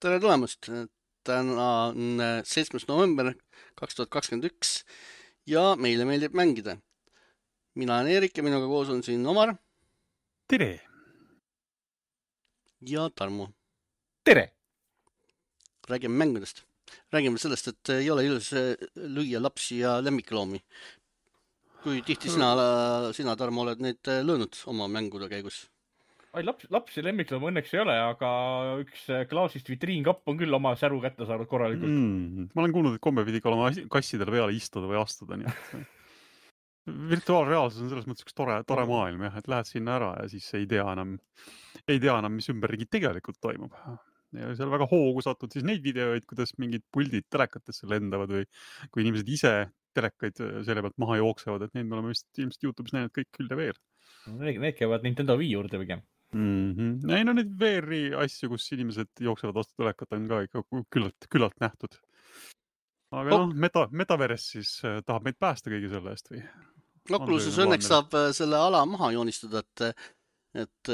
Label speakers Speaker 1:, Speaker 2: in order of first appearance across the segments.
Speaker 1: Tere tulemast! Täna on 7. november 2021 ja meile meeldib mängida. Mina olen Eerik ja minuga koos on siin Omar
Speaker 2: Tere!
Speaker 1: ja Tarmo.
Speaker 2: Tere!
Speaker 1: Räägime mängudest. Räägime sellest, et ei ole ilus lüüa lapsi ja lemmikloomi. Kui tihti sina Tarmo, oled neid löönud oma mängude käigus?
Speaker 2: Lapsi lemmikloom õnneks ei ole, aga üks klaasist vitriinkapp on küll oma säru kätte saanud korralikult.
Speaker 3: Ma olen kuulnud, et komme pidi ka olema kassidele peale istuda või astuda. Nii et virtuaalreaalsus on selles mõttes üks tore maailm, jah, et lähed sinna ära ja siis ei tea enam, mis ümberringi tegelikult toimub. Ja seal väga hoogu satud siis neid videoid, kuidas mingid puldid telekatesse lendavad või kui inimesed ise telekaid selle pealt maha jooksevad, et neid me oleme ilmselt YouTube'is näinud kõik küll ja veel.
Speaker 2: Need käivad Nintendo Wii juurde pigem.
Speaker 3: Ei, no neid VR-i asju, kus inimesed jooksevad vastu telekat on ka ikka küllalt nähtud. Aga Metaverse siis tahab meid päästa kõigi selle eest või?
Speaker 1: Oculuses õnneks saab selle ala maha joonistada, et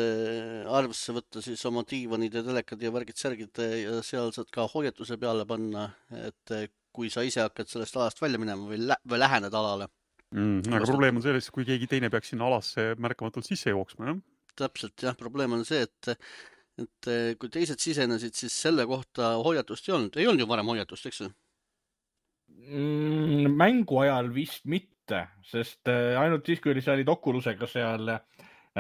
Speaker 1: arvesse võtta siis oma diivanid ja telekad ja värgid-särgid ja seal saad ka hoiatuse peale panna, et kui sa ise hakkad sellest alast välja minema või lähened alale.
Speaker 3: Aga probleem on selles, kui keegi teine peaks sinna alasse märkamatult sisse jooksma, jah?
Speaker 1: Täpselt, jah. Probleem on see, et kui teised sisenesid, siis selle kohta hoiatust ei olnud. Ei olnud ju varem hoiatust, eks?
Speaker 2: Mängu ajal vist mitte, sest ainult siis, kui sa olid Oculusega seal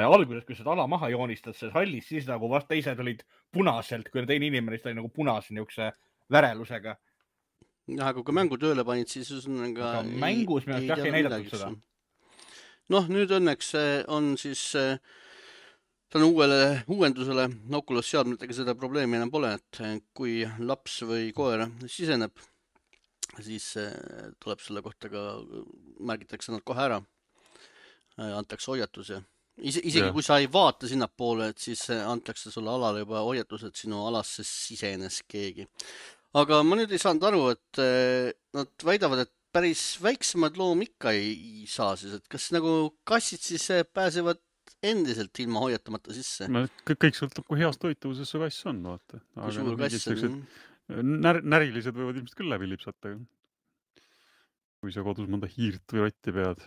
Speaker 2: alguses, kui seda ala maha joonistad, selles hallis, siis nagu vast teised olid punaselt, kui teine inimene oli nagu punase niukse värelusega.
Speaker 1: Jah, aga kui mängu tööle panid, siis
Speaker 2: mängus me ei näidatud seda.
Speaker 1: Noh, nüüd õnneks on siis tänu uuendusele Oculus seadmetega seda probleemi enam pole, et kui laps või koer siseneb, siis tuleb selle kohta ka, märgitakse nad kohe ära, antakse hoiatus ja isegi kui sa ei vaata sinnapoole, et siis antakse sulle alale juba hoiatus, et sinu alasse sisenes keegi. Aga ma nüüd ei saanud aru, et nad väidavad, et päris väiksemad loom ikka ei saa siis, et kas nagu kassid siis pääsevad endiselt ilma hoiatamata sisse?
Speaker 3: Kõik sõltub, kui heas toituvuses see kass on, vaata.
Speaker 1: Kui suur kass on?
Speaker 3: Närilised võivad ilmselt küll läbi lipsata. Kui sa kodus mõnda hiirt või rotti pead.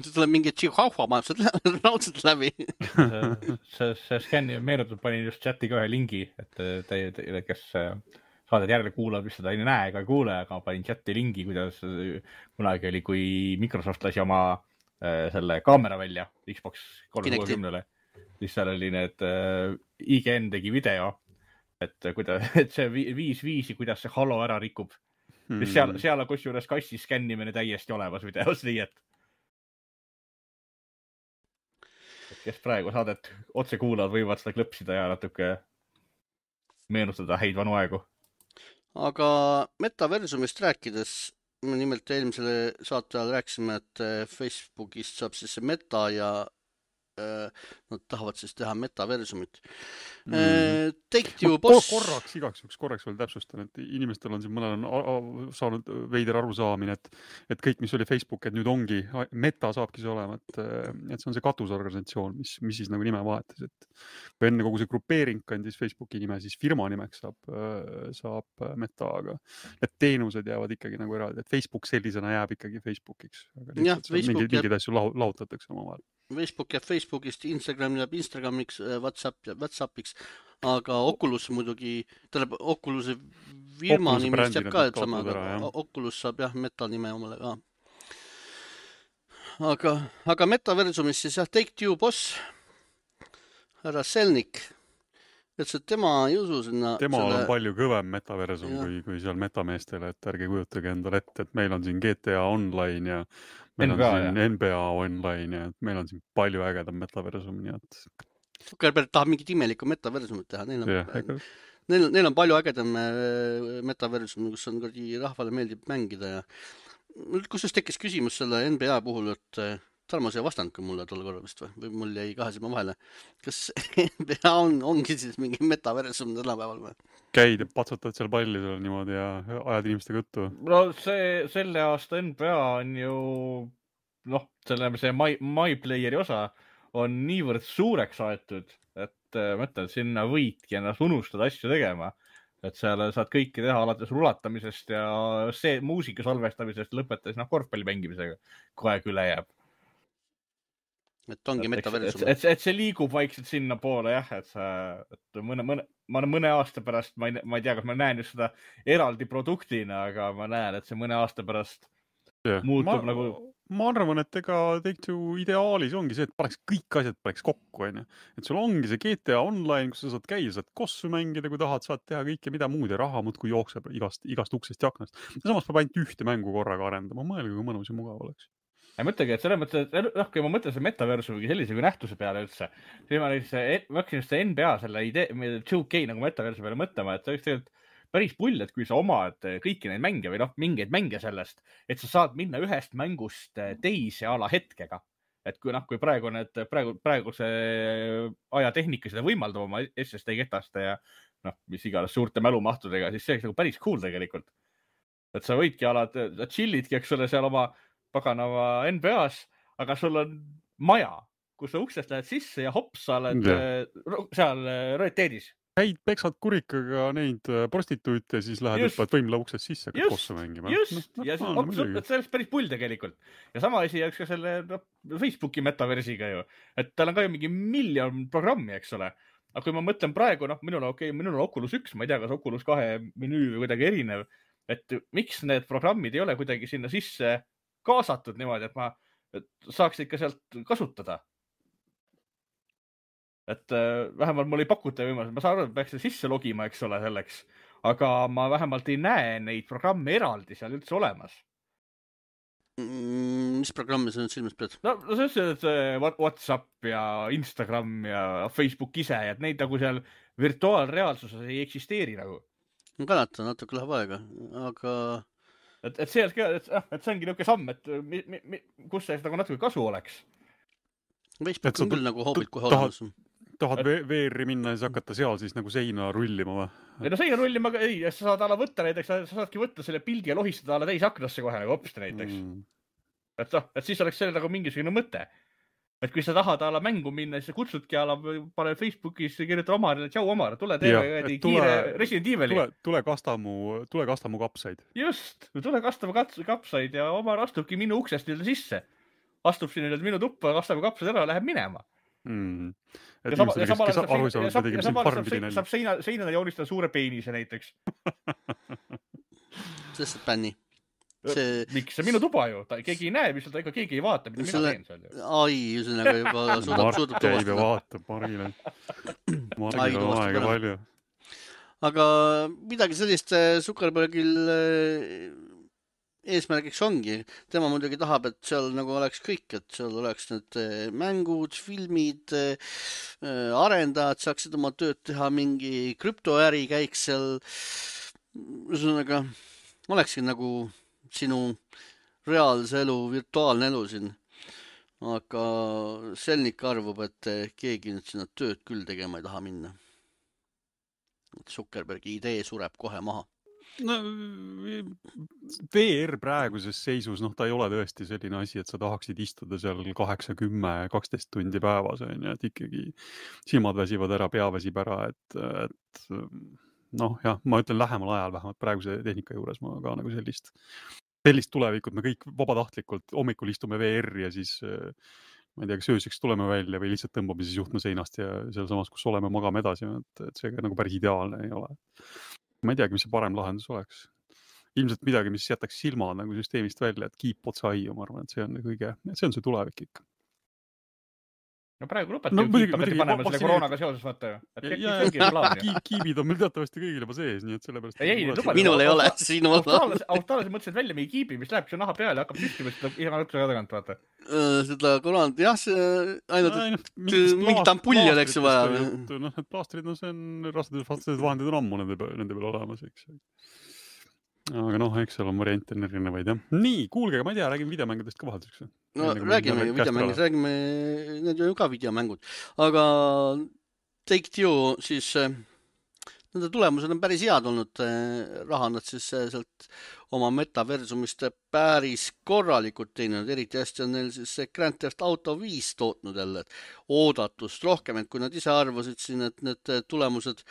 Speaker 1: See tuleb mingi tšihahua majapsed raudselt läbi.
Speaker 2: See skänni meenutab, panin just chati ka ühe lingi, et teile, kes saadet järele kuulab, mis seda ei näe ega kuule, aga panin chati lingi, kuidas kunagi oli, kui Microsoft lasi oma selle kaamera välja Xbox 360-le, siis seal oli need IGN tegi video, et see viisi, kuidas see Halo ära rikub. Seal on kusjuures kassi skännimine täiesti olemas videos, nii et kes praegu saadet otse kuulavad, võivad seda klõpsida ja natuke meenutada häid vanu aegu.
Speaker 1: Aga Metaversumist rääkides, me nimelt eelmisele saate ajal rääkisime, et Facebookist saab siis see Meta ja nad tahavad siis teha Metaversumit.
Speaker 3: Korraks veel täpsustan, et inimestel on siin mõnel on saanud veider arusaamine, et kõik, mis oli Facebook, et nüüd ongi, Meta saabki see olema, et see on see katusorganisatsioon, mis siis nagu nime vahetas, et kui enne kogu see grupeering kandis Facebooki nime, siis firma nimeks saab Meta, aga need teenused jäävad ikkagi nagu eraldi, et Facebook sellisena jääb ikkagi Facebookiks, aga mingid asju lahutatakse oma vahel.
Speaker 1: Facebook jääb Facebookist, Instagram jääb Instagramiks, WhatsAppiks, aga Oculus muidugi, Oculuse firma nimist jääb ka, et sama, Oculus saab jah Meta nime omale ka. Aga Metaversumis siis jah, Take-Two boss, härra Selnik, ütles, et tema ei usu sinna.
Speaker 3: Temal on palju kõvem Metaversum kui seal metameestele, et ärge kujutage endale ette, et meil on siin GTA Online ja meil on siin NBA Online ja meil on siin palju ägedam Metaversum, nii et...
Speaker 1: Zuckerberg tahab mingit imelikku Metaversumit teha. Neil on palju ägedam Metaversum, kus on rahvale meeldib mängida ja kus just tekkis küsimus selle NBA puhul, et Tarmo, sa ei vastanud mulle tol korral vist või mul jäi kahe silma vahele. Kas NBA ongi siis mingi Metaversum tänapäeval või?
Speaker 3: Käid ja patsutad seal palli seal niimoodi ja ajad inimestega juttu?
Speaker 2: No selle aasta NBA on ju, see MyPlayeri osa on niivõrd suureks aetud, et mõtled, sinna võidki ennast unustada asju tegema. et seal saad kõike teha alates rulatamisest ja see muusika salvestamisest lõpetades korvpalli mängimisega kogu aeg üle jääb.
Speaker 1: Et ongi metaversum.
Speaker 2: Et see liigub vaikselt sinna poole jah, et mõne aasta pärast, ma ei tea, kas ma näen just seda eraldi produktina, aga ma näen, et see mõne aasta pärast muutub nagu...
Speaker 3: Ma arvan, et ega Take-Two ideaalis ongi see, et kõik asjad paneks kokku, on ju. Et sul ongi see GTA Online, kus sa saad käia, saad kossu mängida, kui tahad, saad teha kõike mida muud ja raha muudkui jookseb igast uksest ja aknast. Ja samas peab ainult ühte mängu korraga arendama. Mõelge, kui mõnus ja mugav oleks.
Speaker 2: Ma mõtlegi, et selles mõttes, et kui ma mõtlen selle metaversumi sellise kui nähtuse peale üldse, siis ma hakkasin just see NBA selle idee, 2K nagu metaversumi peale mõtlema, et see oleks tegelikult päris pull, et kui sa omad kõiki neid mänge või mingeid mänge sellest, et sa saad minna ühest mängust teise ala hetkega. Et kui praegu see ajatehnika seda võimaldab oma SSD ketaste ja mis iganes suurte mälumahtudega, siis see oleks nagu päris cool tegelikult. Et sa võidki chillidki, eks ole, seal oma paganava NBA-s, aga sul on maja, kus sa uksest lähed sisse ja hops, sa oled seal rariteedis.
Speaker 3: Käid peksad kurikaga neid prostituute, siis lähed õppad võimla uksest sisse, hakkad kossa mängima.
Speaker 2: Just, ja see oleks päris pull tegelikult. Ja sama asi oleks ka selle Facebooki metaversiga ju. Et tal on ka ju mingi miljon programmi, eks ole. Aga kui ma mõtlen praegu, minul on Oculus 1, ma ei tea, kas Oculus 2 menüü või kuidagi erinev, et miks need programmid ei ole kuidagi sinna sisse kaasatud niimoodi, et ma saaks ikka sealt kasutada. Et vähemalt mul ei pakuta võimalus, ma saan aru, et peaks sisse logima, eks ole, selleks, aga ma vähemalt ei näe neid programme eraldi seal üldse olemas.
Speaker 1: Mis programmi sa nüüd silmas pead?
Speaker 2: No see WhatsApp ja Instagram ja Facebook ise, et neid nagu seal virtuaalreaalsuses ei eksisteeri nagu.
Speaker 1: Ma kannatan, natuke läheb aega, aga...
Speaker 2: Et see ongi niuke samm, et kus see nagu natuke kasu oleks.
Speaker 1: Facebook on küll nagu hoobid kohe olemas.
Speaker 3: Tahad VR-i minna ja siis hakata seal siis nagu seina rullima või?
Speaker 2: Ei no seina rullima, ei, sa saad ala võtta näiteks, sa saadki võtta selle pildi ja lohistada ala teise aknasse kohe nagu hopsti näiteks. Et siis oleks selle nagu mingisugune mõte. Et kui sa tahad ala mängu minna, siis sa kutsudki ala, pane Facebookis, kirjuta Omarile, tšau Omar, tule teeme kiire Resident Evili.
Speaker 3: Tule kasta mu kapsaid.
Speaker 2: Just, tule kasta mu kapsaid ja Omar astubki minu uksest nii sisse. Astub siin minu tuppa, kastab kapsad ära ja läheb minema.
Speaker 3: Et inimesed, kes aru ei saanud, tegime siin farmidi nälja.
Speaker 2: Saab seinale joonistada suure peenise näiteks.
Speaker 1: Sest bänni.
Speaker 2: Miks? See minu tuba ju. Keegi ei näe, mis seal keegi ei vaata, mida mina teen seal ju.
Speaker 1: Ai, üsõnaga juba suudab
Speaker 3: käib ja vaatab Marile. Marile on aega palju.
Speaker 1: Aga midagi sellist Zuckerbergil eesmärgiks ongi. Tema muidugi tahab, et seal nagu oleks kõik, et seal oleks need mängud, filmid, arendajad saaksid oma tööd teha, mingi krüptoäri käiks seal. Üsõnaga, olekski nagu sinu reaalse elu, virtuaalne elu siin. Aga Selnik arvab, et keegi nüüd sinna tööd küll tegema ei taha minna. Zuckerbergi idee sureb kohe maha.
Speaker 3: No, VR praeguses seisus, ta ei ole tõesti selline asi, et sa tahaksid istuda seal 8, 10, 12 tundi päevas, et ikkagi silmad väsivad ära, pea väsib ära, et ma ütlen lähemal ajal vähemalt praeguse tehnika juures ma ka nagu sellist tulevikut, me kõik vabatahtlikult hommikul istume VR ja siis ma ei tea, kas ööseks tuleme välja või lihtsalt tõmbame siis juhtme seinast ja seal samas, kus oleme, magame edasi, et see nagu päris ideaalne ei ole. Ma ei teagi, mis see parem lahendus oleks. Ilmselt midagi, mis jätaks silmad nagu süsteemist välja, et keep what's aiu, ma arvan, et see on see tulevik ikka.
Speaker 2: No praegu lõpeti panema selle koroonaga seoses, vaata ju.
Speaker 3: Kiibid on meil teatavasti kõigil juba sees, nii et sellepärast...
Speaker 1: Minul ei ole, sinu olla.
Speaker 2: Austraalias mõtlesid välja meie kiibi, mis läheb, see naha peale ja hakkab süstima seda iga lõpuse tagant, vaata.
Speaker 1: Seda koroonat, jah, see ainult mingit ampulli oleks vaja.
Speaker 3: Need plaastrid, see on rasvased vahendid on ammu nende peal olemas, eks. Aga eks seal on variante erinevaid, jah. Nii, kuulge, ma ei tea, räägime videomängudest ka vahelduseks.
Speaker 1: No räägime videomängudest, räägime, need on ju ka videomängud. Aga Take-Two siis, nende tulemused on päris head olnud. Raha nad siis sealt oma metaversumist päris korralikult teinud. Eriti hästi on neil siis Grand Theft Auto 5 tootnud jälle oodatust rohkem, et kui nad ise arvasid siin, et need tulemused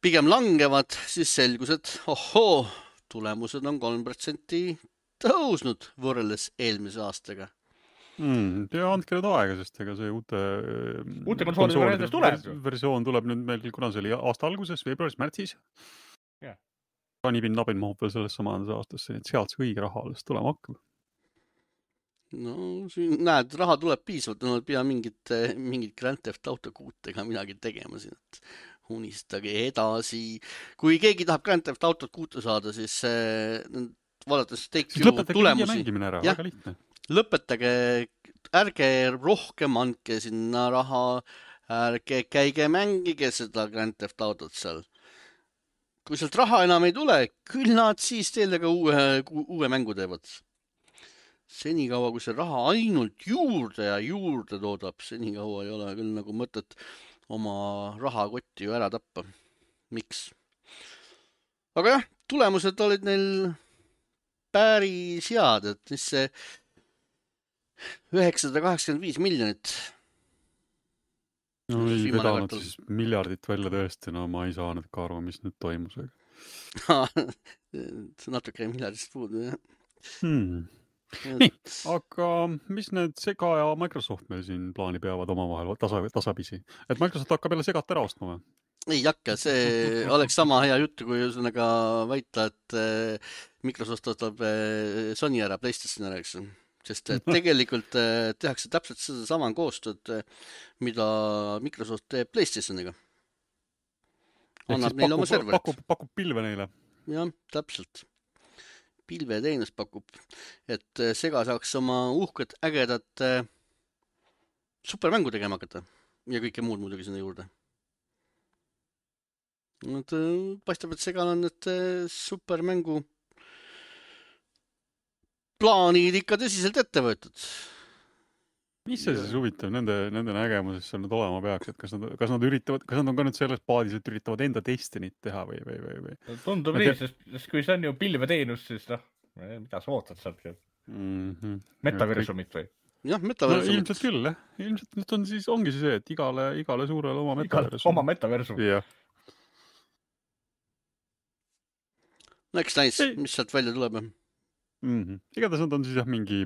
Speaker 1: pigem langevad, siis selgus, et ohoo, tulemused on 3% tõusnud võrreldes eelmise aastaga.
Speaker 3: Ja andke nüüd aega, sest ega see uute
Speaker 2: konsoolide
Speaker 3: versioon tuleb nüüd meil, kuna see oli aasta alguses, veebruaris, märtsis. Nibin mahub veel selles samas aastasse, nii et sealt see õige raha alles tulema hakkab.
Speaker 1: No siin näed, raha tuleb piisavalt, no pea mingit Grand Theft Auto 6-ga midagi tegema siin, et unistage edasi. Kui keegi tahab Grand Theft Auto 6 saada, siis vaadates Take-Two tulemusi.
Speaker 3: Väga lihtne.
Speaker 1: Lõpetage, ärge rohkem andke sinna raha, ärge käige mängige seda Grand Theft Autot seal. Kui sealt raha enam ei tule, küll nad siis teile ka uue mängu teevad. Senikaua, kui see raha ainult juurde ja juurde toodab, senikaua ei ole küll nagu mõtet oma rahakotti ju ära tappa. Miks? Aga jah, tulemused olid neil päris head, et mis see 985 miljonit.
Speaker 3: No ei vedanud siis miljardit välja tõesti, no ma ei saa nüüd ka aru, mis nüüd toimus.
Speaker 1: Natuke miljardist puudu, jah.
Speaker 3: Nii, aga mis need Sega ja Microsoft meil siin plaani peavad omavahel tasapisi? Et Microsoft hakkab jälle Segat ära ostma või?
Speaker 1: Ei hakka, see oleks sama hea juttu, kui ühesõnaga väita, et Microsoft ostab Sony ära, PlayStation ära, eks. Sest tegelikult tehakse täpselt seda sama koostööd, mida Microsoft teeb PlayStationiga. Annab neile oma serverit.
Speaker 3: Pakub pilve neile.
Speaker 1: Jah, täpselt. Pilveteenus pakub, et Sega saaks oma uhked ägedad supermängu tegema hakata ja kõike muud muidugi sinna juurde. Paistab, et Segal on need supermängu plaanid ikka tõsiselt ette võetud.
Speaker 3: Mis see siis huvitav nende nägemuses seal nüüd olema peaks, et kas nad üritavad, kas nad on ka nüüd selles paadis, et üritavad enda Destinit teha või?
Speaker 2: Tundub nii, sest kui see on ju pilveteenus, siis mida sa ootad sealt? Metaversumit või?
Speaker 1: Jah, metaversumit.
Speaker 3: No, ilmselt küll, jah. Ilmselt nüüd ongi see, et igale suurele oma metaversum.
Speaker 2: Oma metaversum.
Speaker 3: Jah.
Speaker 1: No eks näis, mis sealt välja tuleb.
Speaker 3: Igatahes nad on siis mingi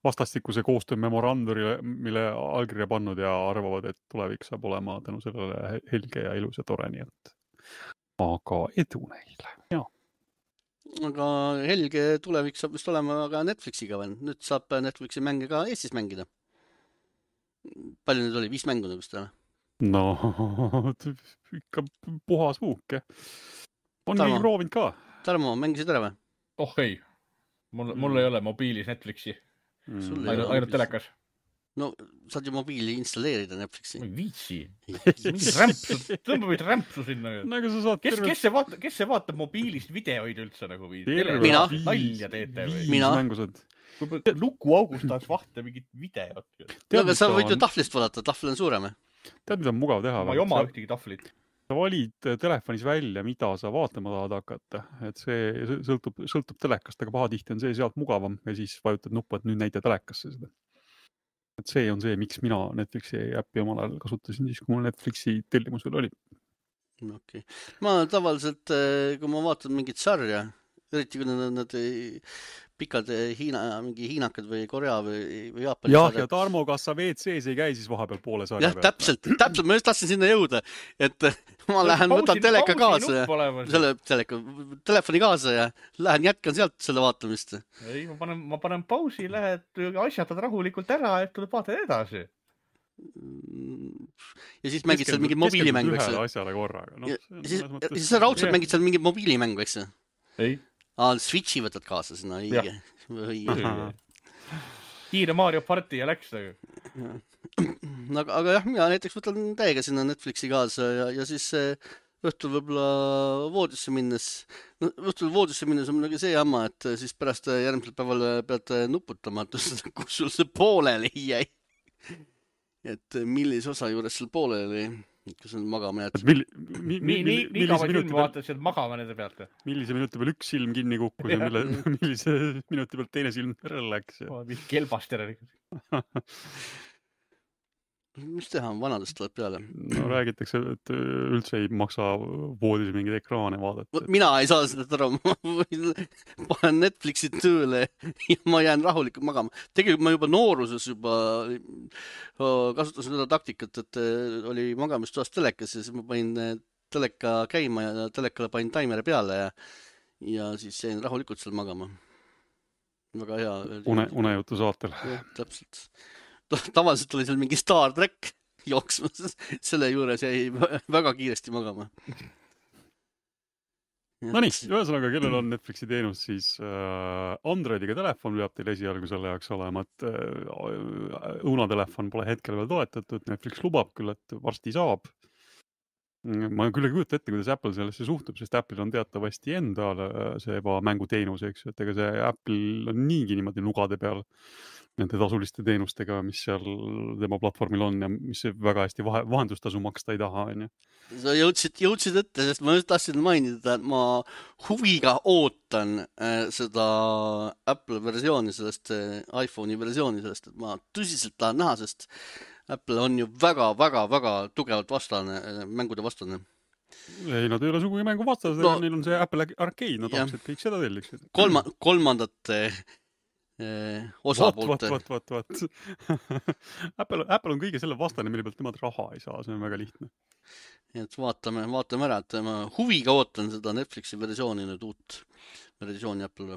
Speaker 3: vastastikuse koostöö memoranduri, mille allkirja pannud ja arvavad, et tulevik saab olema tänu sellele helge ja ilus ja tore, nii et aga edu neile. Ja.
Speaker 1: Aga helge tulevik saab vist olema ka Netflixiga veel. Nüüd saab Netflixi mänge ka Eestis mängida. Palju nüüd oli? 5 mängu vist või?
Speaker 3: No, ikka puhas huuk. On nii proovinud ka.
Speaker 1: Tarmo, mängisid ära või?
Speaker 2: Oh ei. Mul ei ole mobiilis Netflixi. Ainult telekas.
Speaker 1: No, saad ju mobiili installeerida Netflixi.
Speaker 2: Ma ei viitsi. Tõmbavad rämpsu sinna. Kes see vaatab mobiilist videoid üldse nagu või?
Speaker 1: Mina.
Speaker 2: Nalja teete või?
Speaker 1: Mina.
Speaker 2: Lukuaugust tahaks vahta mingit videot.
Speaker 1: Aga sa võid ju tahvlist vaadata, tahvl on suurem.
Speaker 3: Tead, mida on mugav teha?
Speaker 2: Ma ei oma ühtegi tahvlit.
Speaker 3: Sa valid telefonis välja, mida sa vaatama tahad hakata. Et see sõltub telekast, aga pahatihti on see sealt mugavam ja siis vajutad nuppu, et nüüd näita telekasse seda. Et see on see, miks mina Netflixi äppi omal ajal kasutasin siis, kui mul Netflixi tellimus veel oli.
Speaker 1: Okay. Ma tavaliselt, kui ma vaatan mingit sarja, eriti kui nad pikad mingi hiinakad või Korea või Jaapani
Speaker 3: sarjad. Ja Tarmo, kas sa WC-s ei käi siis vahepeal poole sarja
Speaker 1: pealt? Jah, täpselt. Ma just tahtsin sinna jõuda, et ma lähen, võtan teleka kaasa ja telefoni kaasa ja lähen jätkan sealt selle vaatamist.
Speaker 2: Ei, ma panen pausi, lähed asjatad rahulikult ära, et tuleb vaatad edasi.
Speaker 1: Ja siis mängid seal mingid mobiilimängu, eks?
Speaker 3: Ühele asjale korraga.
Speaker 1: Ja siis sa raudselt mängid seal mingid mobiilimängu, eks?
Speaker 2: Ei.
Speaker 1: Switchi võtad kaasa sinna, õige.
Speaker 2: Kiire Mario Party ja läks.
Speaker 1: Aga jah, mina näiteks võtan täiega sinna Netflixi kaasa ja siis õhtul võib-olla voodisse minnes. No, õhtul voodisse minnes on muidugi see jamma, et siis pärast järgmisel päeval pead nuputama, et kus sul see pooleli jäi. Et millise osa juures sul pooleli kus on magama jätnud.
Speaker 2: Nii kaua silmi vaatasid magama nende pealt.
Speaker 3: Millise minuti peal üks silm kinni kukkus ja millise minuti pealt teine silm läks.
Speaker 2: Kelbaster.
Speaker 1: mis teha, vanadest tuleb peale.
Speaker 3: No räägitakse, et üldse ei maksa voodis mingeid ekraane vaadata.
Speaker 1: Mina ei saa seda aru, ma panen Netflixi tööle ja ma jään rahulikult magama. Tegelikult ma juba nooruses kasutasin seda taktikat, et oli magamistoas telekas ja siis ma panin teleka käima ja telekale panin taimeri peale ja siis jäin rahulikult seal magama. Väga hea.
Speaker 3: Unejutu saatel.
Speaker 1: Jah, täpselt. Tavaliselt oli seal mingi Star Trek jooksmas, selle juures jäi väga kiiresti magama.
Speaker 3: No nii, ühesõnaga, kellel on Netflixi teenus, siis Androidiga telefon peab teil esialgu selle jaoks olema, et õunatelefon pole hetkel veel toetatud, Netflix lubab küll, et varsti saab. Ma küll ei kujuta ette, kuidas Apple sellesse suhtub, sest Apple'il on teatavasti endal see mänguteenus, eks ju, et ega see Apple on niigi niimoodi nugade peal nende tasuliste teenustega, mis seal tema platvormil on ja mis väga hästi vahendustasu maksta ei taha, on ju.
Speaker 1: Sa jõudsid ette, sest ma just tahtsin mainida, et ma huviga ootan seda Apple versiooni, sellest iPhone'i versiooni sellest, et ma tõsiselt tahan näha, sest Apple on ju väga tugevalt mängude vastane.
Speaker 3: Ei, nad ei ole sugugi mängu vastased, neil on see Apple Arcade, nad tahaks, et kõik seda telliksid.
Speaker 1: Kolmandate osapoolte.
Speaker 3: Vot. Apple on kõige selle vastane, mille pealt nemad raha ei saa, see on väga lihtne.
Speaker 1: Nii et vaatame ära, et ma huviga ootan seda Netflixi versiooni, nüüd uut versiooni Apple'le.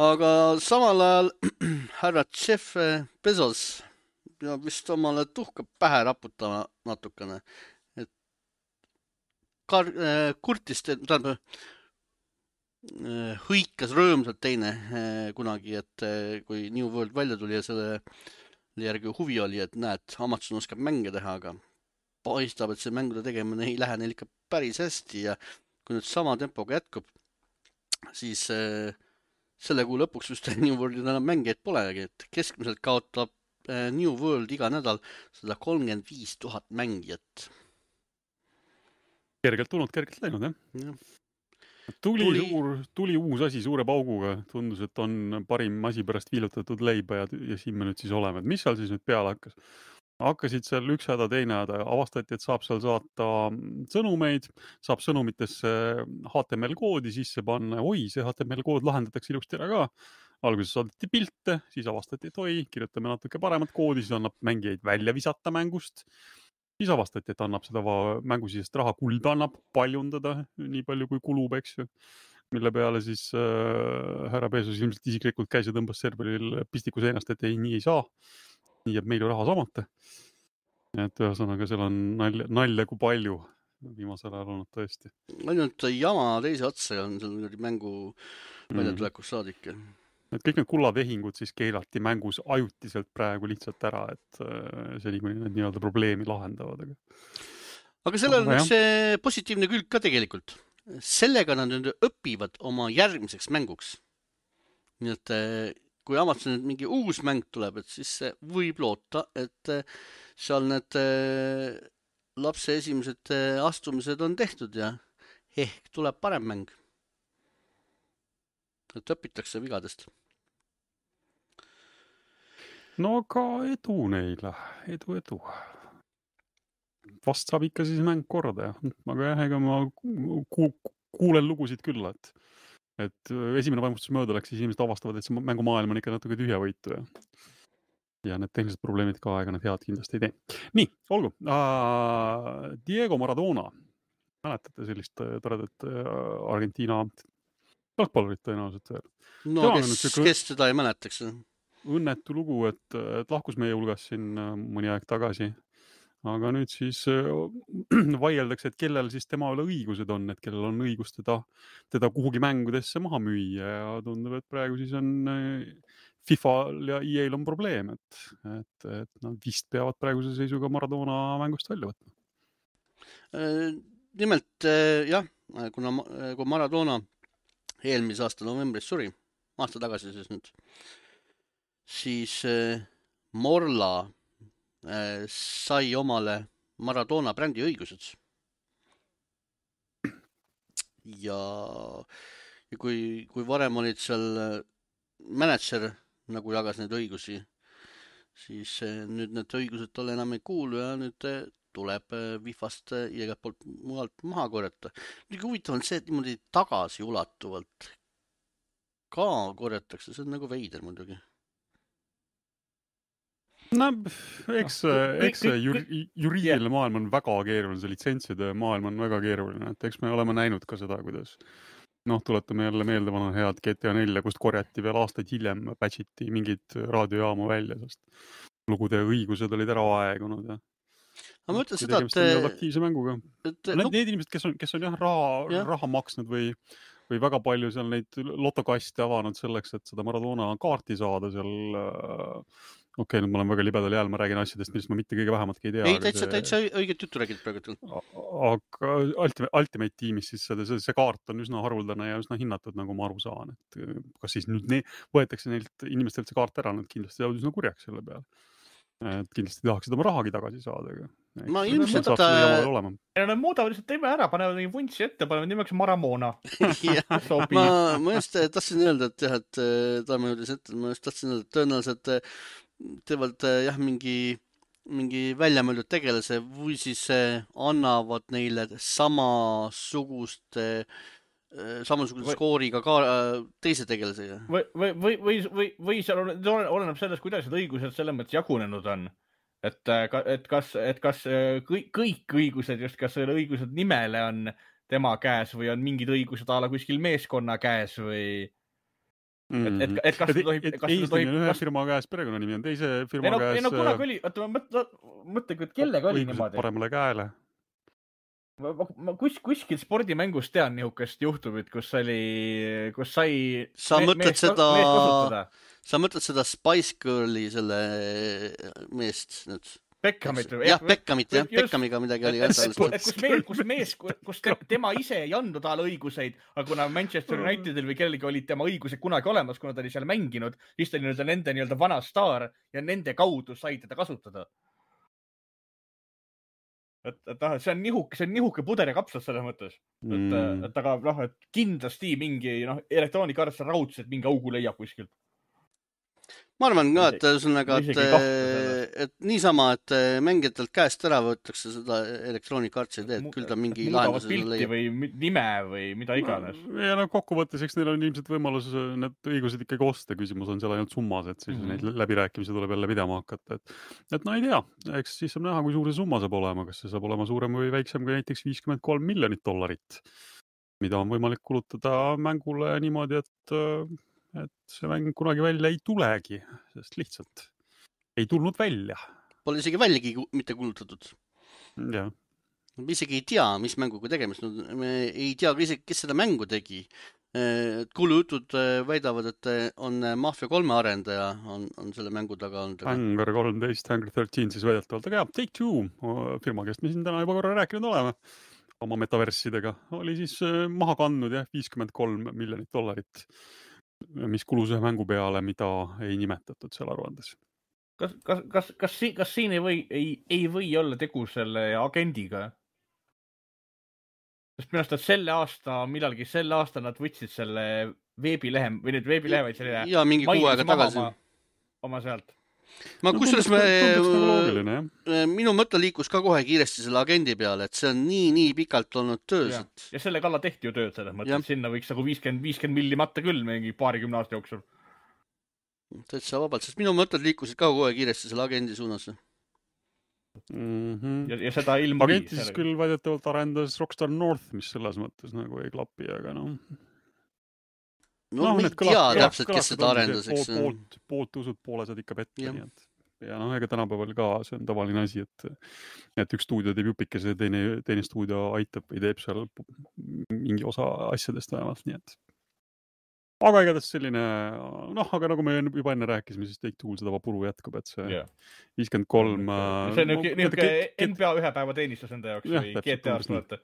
Speaker 1: Aga samal ajal härra Jeff Bezos ja vist omale tuhka pähe raputama natukene. Et kurtis, tähendab, hõikas rõõmsalt teine kunagi, et kui New World välja tuli ja selle järgi huvi oli, et näed, Amazon oskab mänge teha, aga paistab, et see mängude tegemine ei lähe neil ikka päris hästi ja kui nüüd sama tempoga jätkub, siis selle kuu lõpuks just New Worldil enam mängijaid polegi, et keskmiselt kaotab New World iga nädal 135,000 mängijat.
Speaker 3: Kergelt tulnud, kergelt läinud, jah? Tuli uus asi suure pauguga, tundus, et on parim asi pärast viilutatud leiba ja siin me nüüd siis oleme. Mis seal siis nüüd peale hakkas? Hakkasid seal üks häda, teine häda, avastati, et saab seal saata sõnumeid, saab sõnumitesse HTML-koodi sisse panna, see HTML-kood lahendatakse ilusti ära ka. Alguses saadeti pilte, siis avastati, et kirjutame natuke paremat koodi, siis annab mängijaid välja visata mängust. Siis avastati, et annab seda mängusisest raha kulda annab paljundada, nii palju kui kulub, eks ju. Mille peale siis härra Bezos ilmselt isiklikult käis ja tõmbas serveril pistiku seinast, et nii ei saa. Nii jääb meil ju raha samata. Et ühesõnaga, seal on nalja kui palju viimasel ajal olnud tõesti.
Speaker 1: Ainult jama teise otsa on seal mängu väljatulekust saadik.
Speaker 3: Et kõik need kullatehingud siis keelati mängus ajutiselt praegu lihtsalt ära, et see kuni need nii-öelda probleemi lahendavad.
Speaker 1: Aga sellel on üks positiivne külg ka tegelikult. Sellega nad nüüd õpivad oma järgmiseks mänguks. Nii et kui Amazon mingi uus mäng tuleb, et siis võib loota, et seal need lapse esimesed astumised on tehtud ja ehk tuleb parem mäng. Et õpitakse vigadest.
Speaker 3: No aga edu neile, edu. Vast saab ikka siis mäng korda, aga ega ma kuulen lugusid küll, et esimene vaimustus mööda läks, siis inimesed avastavad, et see mängumaailm on ikka natuke tühjavõitu ja need tehnilised probleemid ka aega need head kindlasti ei tee. Nii, olgu. Diego Maradona. Mäletate sellist toredat Argentiina jalgpallurit tõenäoliselt veel?
Speaker 1: No kes seda ei mäletaks?
Speaker 3: Õnnetu lugu, et lahkus meie hulgas siin mõni aeg tagasi. Aga nüüd siis vaieldakse, et kellel siis tema üle õigused on, et kellel on õigus teda kuhugi mängudesse maha müüa ja tundub, et praegu siis on FIFA-l ja EA-l on probleem, et nad vist peavad praeguse seisuga Maradona mängust välja võtma.
Speaker 1: Nimelt jah, kui Maradona eelmise aasta novembris suri, aasta tagasi siis nüüd, siis Morla sai omale Maradona brändi õigused. Ja kui varem olid seal manager, nagu jagas neid õigusi, siis nüüd need õigused talle enam ei kuulu ja nüüd tuleb Wifast ja igalt poolt mujalt maha korjata. Muidugi huvitav on see, et niimoodi tagasiulatuvalt ka korjatakse, see on nagu veider muidugi.
Speaker 3: No, eks juriidiline maailm on väga keeruline, see litsentside maailm on väga keeruline, et eks me oleme näinud ka seda, kuidas tuletame jälle meelde vana head GTA 4, kust korjati veel aastaid hiljem, patchiti mingid raadiojaamu välja, sest lugude õigused olid ära aegunud.
Speaker 1: Aga ma ütlen seda,
Speaker 3: et aktiivse mänguga. Need inimesed, kes on raha maksnud või väga palju seal neid lotokaste avanud selleks, et seda Maradona kaarti saada seal okei, nüüd ma olen väga libedal jääl, ma räägin asjadest, millest ma mitte kõige vähematki ei tea.
Speaker 1: Ei, täitsa õiget juttu räägid praegu.
Speaker 3: Aga Ultimate tiimis siis see kaart on üsna haruldane ja üsna hinnatud, nagu ma aru saan. Et kas siis nüüd võetakse neilt inimestelt see kaart ära, nad kindlasti jäävad üsna kurjaks selle peale. Et kindlasti tahaksid oma rahagi tagasi saada.
Speaker 1: Ma ilmselt...
Speaker 2: Nad muudavad lihtsalt teeme ära, panevad mingi vuntsi ette, panevad nimeks Maramona.
Speaker 1: Ma just tahtsin öelda, et jah, et ma just tahtsin öelda, et tõenäoliselt teevad jah mingi väljamõeldud tegelase või siis annavad neile samasugust skooriga ka teise tegelasega.
Speaker 2: Või seal oleneb sellest, kuidas need õigused selle mõttes jagunenud on. Et kas kõik õigused, just kas selle õigused nimele on tema käes või on mingid õigused ala kuskil meeskonna käes või... Et kas tohib...
Speaker 3: ühe firma käes perekonnanimi on teise firma käes...
Speaker 2: No kunagi oli, mõtle, et kellega oli niimoodi.
Speaker 3: Paremale käele.
Speaker 2: Ma kuskil spordimängus tean nihukest juhtumit, kus sai
Speaker 1: sa mõtled seda Spice Girli selle meest nüüd?
Speaker 2: Beckhamit.
Speaker 1: Jah, Beckhamiga midagi oli.
Speaker 2: Kus tema ise ei andnud talle õiguseid, aga kuna Manchester Unitedil või kellegi olid tema õigused kunagi olemas, kuna ta oli seal mänginud, siis ta oli nende vana staar ja nende kaudu sai teda kasutada. See on nihuke puder ja kapsad selles mõttes. Et kindlasti mingi elektroonikarts raudselt mingi augu leiab kuskilt.
Speaker 1: Ma arvan ka, et niisama, et mängijatelt käest ära võetakse seda elektroonikartsi teed, küll ta mingi lahendus
Speaker 2: pilti või nime või mida iganes.
Speaker 3: Ja kokkuvõttes, eks neil on ilmselt võimalus need õigused ikkagi osta. Küsimus on seal ainult summas, et siis neid läbirääkimisi tuleb jälle pidama hakata. Et no ei tea, eks siis saab näha, kui suur see summa saab olema. Kas see saab olema suurem või väiksem kui näiteks $53 miljonit, mida on võimalik kulutada mängule niimoodi, et see mäng kunagi välja ei tulegi, sest lihtsalt ei tulnud välja.
Speaker 1: Pole isegi väljagi mitte kulutatud.
Speaker 3: Ja.
Speaker 1: Me isegi ei tea, mis mänguga tegemist. Me ei tea ka isegi, kes seda mängu tegi. Kuulujutud väidavad, et on Mafia 3 arendaja on selle mängu taga olnud.
Speaker 3: Hangar 13, Hangar 13 siis väidetavalt. Aga jah, Take-Two firma, kes me siin täna juba korra rääkinud oleme oma metaversidega, oli siis maha kandnud $53 miljonit. Mis kulus ühe mängu peale, mida ei nimetatud seal aruandes.
Speaker 2: Kas siin ei või olla tegu selle agendiga? Sest minu arust, et selle aasta nad võtsid selle veebilehe, või nüüd veebilehe, vaid selline...
Speaker 1: Ja mingi 6 aega tagasi.
Speaker 2: Oma sealt.
Speaker 1: Minu mõte liikus ka kohe kiiresti selle agendi peale, et see on nii pikalt olnud töös.
Speaker 2: Ja selle kalla tehti ju tööd selles mõttes, et sinna võiks nagu 50 milli matta küll mingi 20 aasta jooksul.
Speaker 1: Täitsa vabalt, sest minu mõtted liikusid ka kohe kiiresti selle agendi suunas.
Speaker 2: Ja seda ilma...
Speaker 3: Agenti siis küll väidetavalt arendas Rockstar North, mis selles mõttes nagu ei klapi, aga
Speaker 1: No me ei tea täpselt, kes seda arendas.
Speaker 3: Poolt usud, poole saad ikka petta. Ja ega tänapäeval ka see on tavaline asi, et üks stuudio teeb jupikese ja teine stuudio aitab või teeb seal mingi osa asjadest vähemalt. Nii et. Aga igatahes selline, aga nagu me juba enne rääkisime, siis Take-Two seda puru jätkub, et see 53...
Speaker 2: See on NBA ühe päeva teenistus enda jaoks või GTA-st mõõta.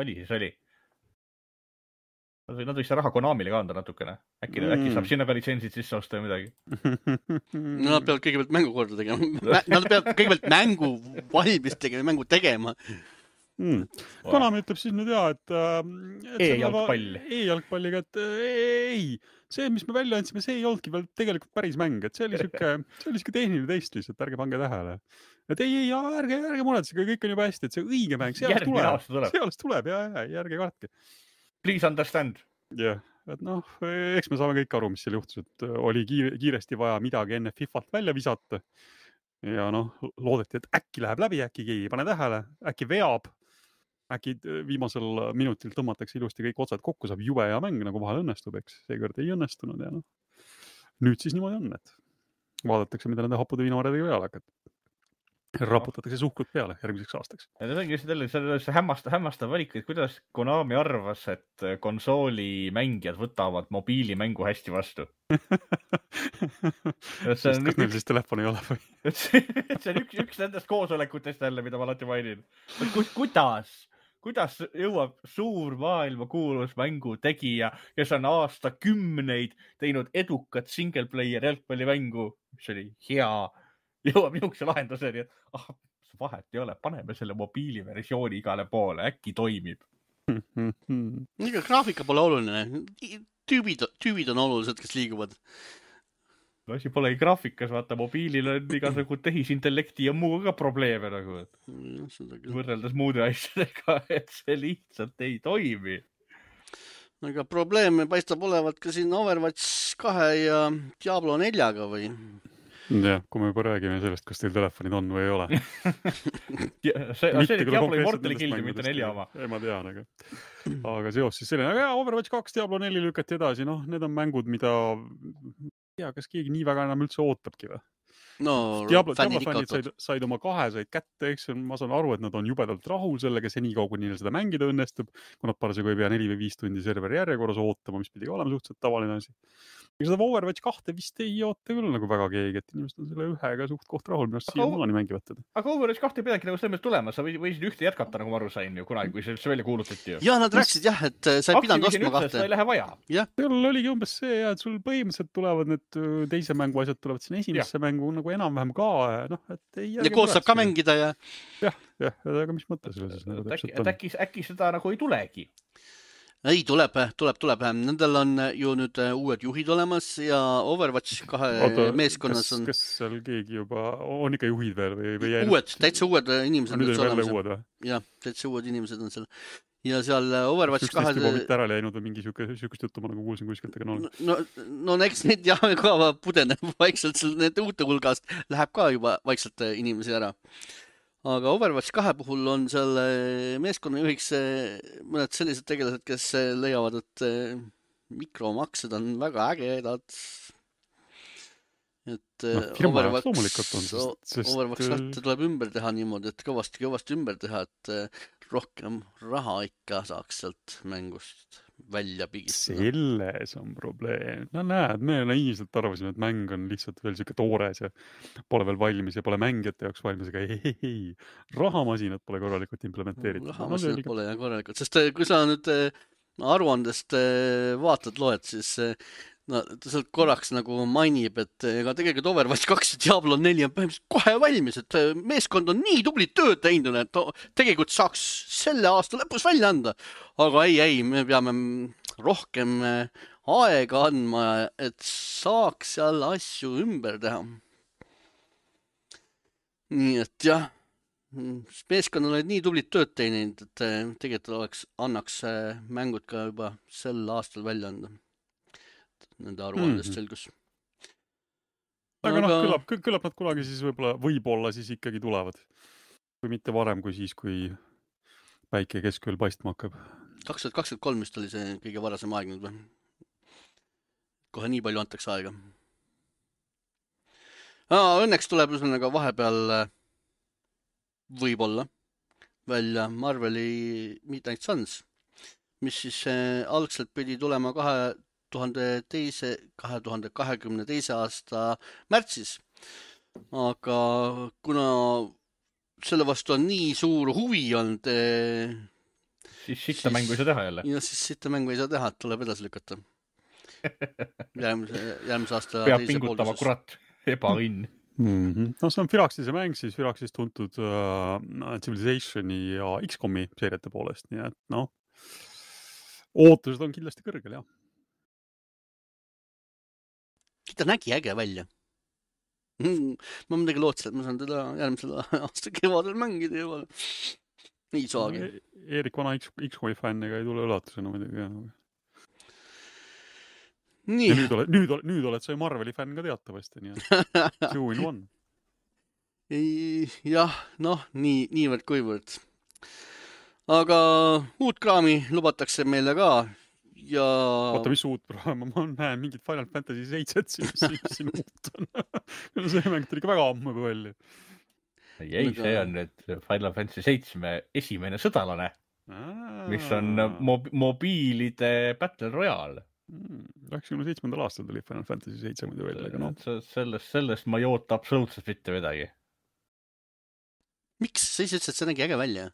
Speaker 2: Oli siis oli. Nad võiks raha Konamile ka anda natukene. Äkki saab sinna ka litsentsid sisse osta või midagi.
Speaker 1: Nad peavad kõigepealt mängu korda tegema. Nad peavad kõigepealt mängu valmis tegema, mängu tegema.
Speaker 3: Konami ütleb siis nüüd et
Speaker 2: E-jalgpalliga,
Speaker 3: et ei, see, mis me välja andsime, see ei olnudki veel tegelikult päris mäng, et see oli siuke tehniline test lihtsalt, ärge pange tähele. Et ei, ärge muretsege, kõik on juba hästi, et see õige mäng, see alles tuleb ja ärge kartke.
Speaker 2: Please understand.
Speaker 3: Jah, et eks me saame kõik aru, mis seal juhtus, et oli kiiresti vaja midagi enne FIFAlt välja visata. Ja loodeti, et äkki läheb läbi, äkki keegi ei pane tähele, äkki veab, äkki viimasel minutil tõmmatakse ilusti kõik otsad kokku, saab jube hea mäng, nagu vahel õnnestub, eks seekord ei õnnestunud ja nüüd siis niimoodi on, et vaadatakse, mida nende happude viinamarjadega peale hakkab. Raputatakse suhkrut peale järgmiseks aastaks.
Speaker 2: Ja see ongi just hämmastav valik, et kuidas Konami arvas, et konsoolimängijad võtavad mobiilimängu hästi vastu.
Speaker 3: Kas neil siis telefon ei ole või?
Speaker 2: See on üks nendest koosolekutest jälle, mida ma alati mainin. Kuidas jõuab suur maailmakuulus mängu tegija, kes on aastakümneid teinud edukat single player jalgpallimängu, mis oli hea, jõuab niisuguse lahenduseni, et vahet ei ole, paneme selle mobiiliversiooni igale poole, äkki toimib.
Speaker 1: Ega graafika pole oluline. Tüübid on olulised, kes liiguvad.
Speaker 2: Asi pole graafikas, vaata, mobiilil on igasugu tehisintellekti ja muu ka probleeme nagu. Võrreldes muude asjadega, et see lihtsalt ei toimi.
Speaker 1: Aga probleeme paistab olevat ka siin Overwatch 2 ja Diablo 4-ga või?
Speaker 3: Jah, kui me juba räägime sellest, kas teil telefonid on või ei ole.
Speaker 2: See oli Diablo Immortali Guildi, mitte 4 oma.
Speaker 3: Ei, ma tean, aga seos siis selline. Aga Overwatch 2, Diablo 4 lükati edasi. Need on mängud, mida kas keegi nii väga enam üldse ootabki või? Diablo fännid said oma 2 said kätte, eks ma saan aru, et nad on jubedalt rahul sellega, see nii kaua, kui neil seda mängida õnnestub, kui nad parasjagu ei pea 4 või 5 tundi serveri järjekorras ootama, mis pidi olema suhteliselt tavaline asi. Ja seda Overwatch 2 vist ei oota küll nagu väga keegi, et inimesed on selle ühega suht koht rahul, minu arust siia maani mängivad teda.
Speaker 2: Aga Overwatch 2 ei pidagi nagu selles tulema, sa võisid ühte jätkata, nagu ma aru sain ju kunagi, kui see välja kuulutati ju.
Speaker 1: Ja nad rääkisid jah, et sa ei pidanud ostma 2.
Speaker 2: Sa ei lähe vaja.
Speaker 3: Seal oligi umbes see, et sul põhimõtteliselt tulevad need teise mängu asjad tulevad sinna esimesse mängu nagu enam-vähem ka.
Speaker 1: Ja koos saab ka mängida ja...
Speaker 3: Jah, aga mis mõte selles nagu
Speaker 2: äkki seda nagu ei tulegi?
Speaker 1: Ei, tuleb. Nendel on ju nüüd uued juhid olemas ja Overwatch 2 meeskonnas on...
Speaker 3: Kas seal keegi juba on ikka juhid veel või
Speaker 1: uued, täitsa uued inimesed.
Speaker 3: Nüüd on jälle uued või?
Speaker 1: Jah, täitsa uued inimesed on seal. Ja seal Overwatch 2...
Speaker 3: Sükst juba mitte ära läinud või mingi sükust juttu ma nagu kuulsin kuskilt, aga
Speaker 1: no eks neid ka pudeneb vaikselt need uute hulgast läheb ka juba vaikselt inimesi ära. Aga Overwatch 2 puhul on seal meeskonna juhiks mõned sellised tegelased, kes leiavad, et mikromaksed on väga ägedad. Et Overwatch 2 tuleb ümber teha niimoodi, et kõvasti ümber teha, et rohkem raha ikka saaks sealt mängust välja pigistada.
Speaker 3: Selles on probleem. Näed, me naiivselt arvasime, et mäng on lihtsalt veel siuke toores ja pole veel valmis ja pole mängijate jaoks valmis, aga ei. Rahamasinad pole korralikult implementeeritud.
Speaker 1: Rahamasinad pole korralikult, sest kui sa nüüd aruandest loed, siis ta sealt korraks nagu mainib, et ega tegelikult Overwatch 2 ja Diablo 4 on põhimõtteliselt kohe valmis, et meeskond on nii tublit tööd teinud, et tegelikult saaks selle aasta lõpus välja anda. Aga ei, me peame rohkem aega andma, et saaks seal asju ümber teha. Nii et jah, meeskond oled nii tublit tööd teinud, et tegelikult annaks mängud ka juba sel aastal välja anda. Nende aruandest selgus.
Speaker 3: Aga küllap nad kunagi siis võib-olla siis ikkagi tulevad. Kui mitte varem kui siis, kui päike keskööl paistma hakkab.
Speaker 1: 2023 vist oli see kõige varasem aeg nüüd või? Kohe nii palju antakse aega. Õnneks tuleb üsnaga vahepeal võib-olla välja Marveli Midnight Suns, mis siis algselt pidi tulema 2022. aasta märtsis. Aga kuna selle vastu on nii suur huvi olnud...
Speaker 2: Siis sitta mängu ei saa teha jälle.
Speaker 1: Ja siis sitta mängu ei saa teha, et tuleb edasi lükata. Järgmise aasta
Speaker 2: peab pingutama kurat, ebaõnn.
Speaker 3: No see on Firaxise mäng siis Firaxis tuntud Civilizationi ja XCOMi seeriate poolest, nii et noh, ootused on kindlasti kõrgel, jah.
Speaker 1: Ta nägi äge välja. Ma midagi lootsin, et ma saan teda järgmisel aasta kevadel mängida juba. Ei saagi.
Speaker 3: Eerik vana XCOMi fänn ega ei tule üllatusena muidugi, jah.
Speaker 1: Nii.
Speaker 3: Ja nüüd oled sa ju Marveli fänn ka teatavasti, nii et 2 in 1.
Speaker 1: Jah, noh, niivõrd kuivõrd. Aga uut kraami lubatakse meile ka ja...
Speaker 3: Oota, mis uut kraami? Ma näen mingit Final Fantasy 7 siin uut on. See mäng tuli ka väga ammu välja.
Speaker 2: Ei, see on nüüd Final Fantasy 7 esimene sõdalane, mis on mobiilide Battle Royale.
Speaker 3: 97. aastal tuli Final Fantasy 7 muidu välja, aga noh.
Speaker 2: Sellest ma ei oota absoluutselt mitte midagi.
Speaker 1: Miks? Sa ise ütlesid, et see nägi äge välja?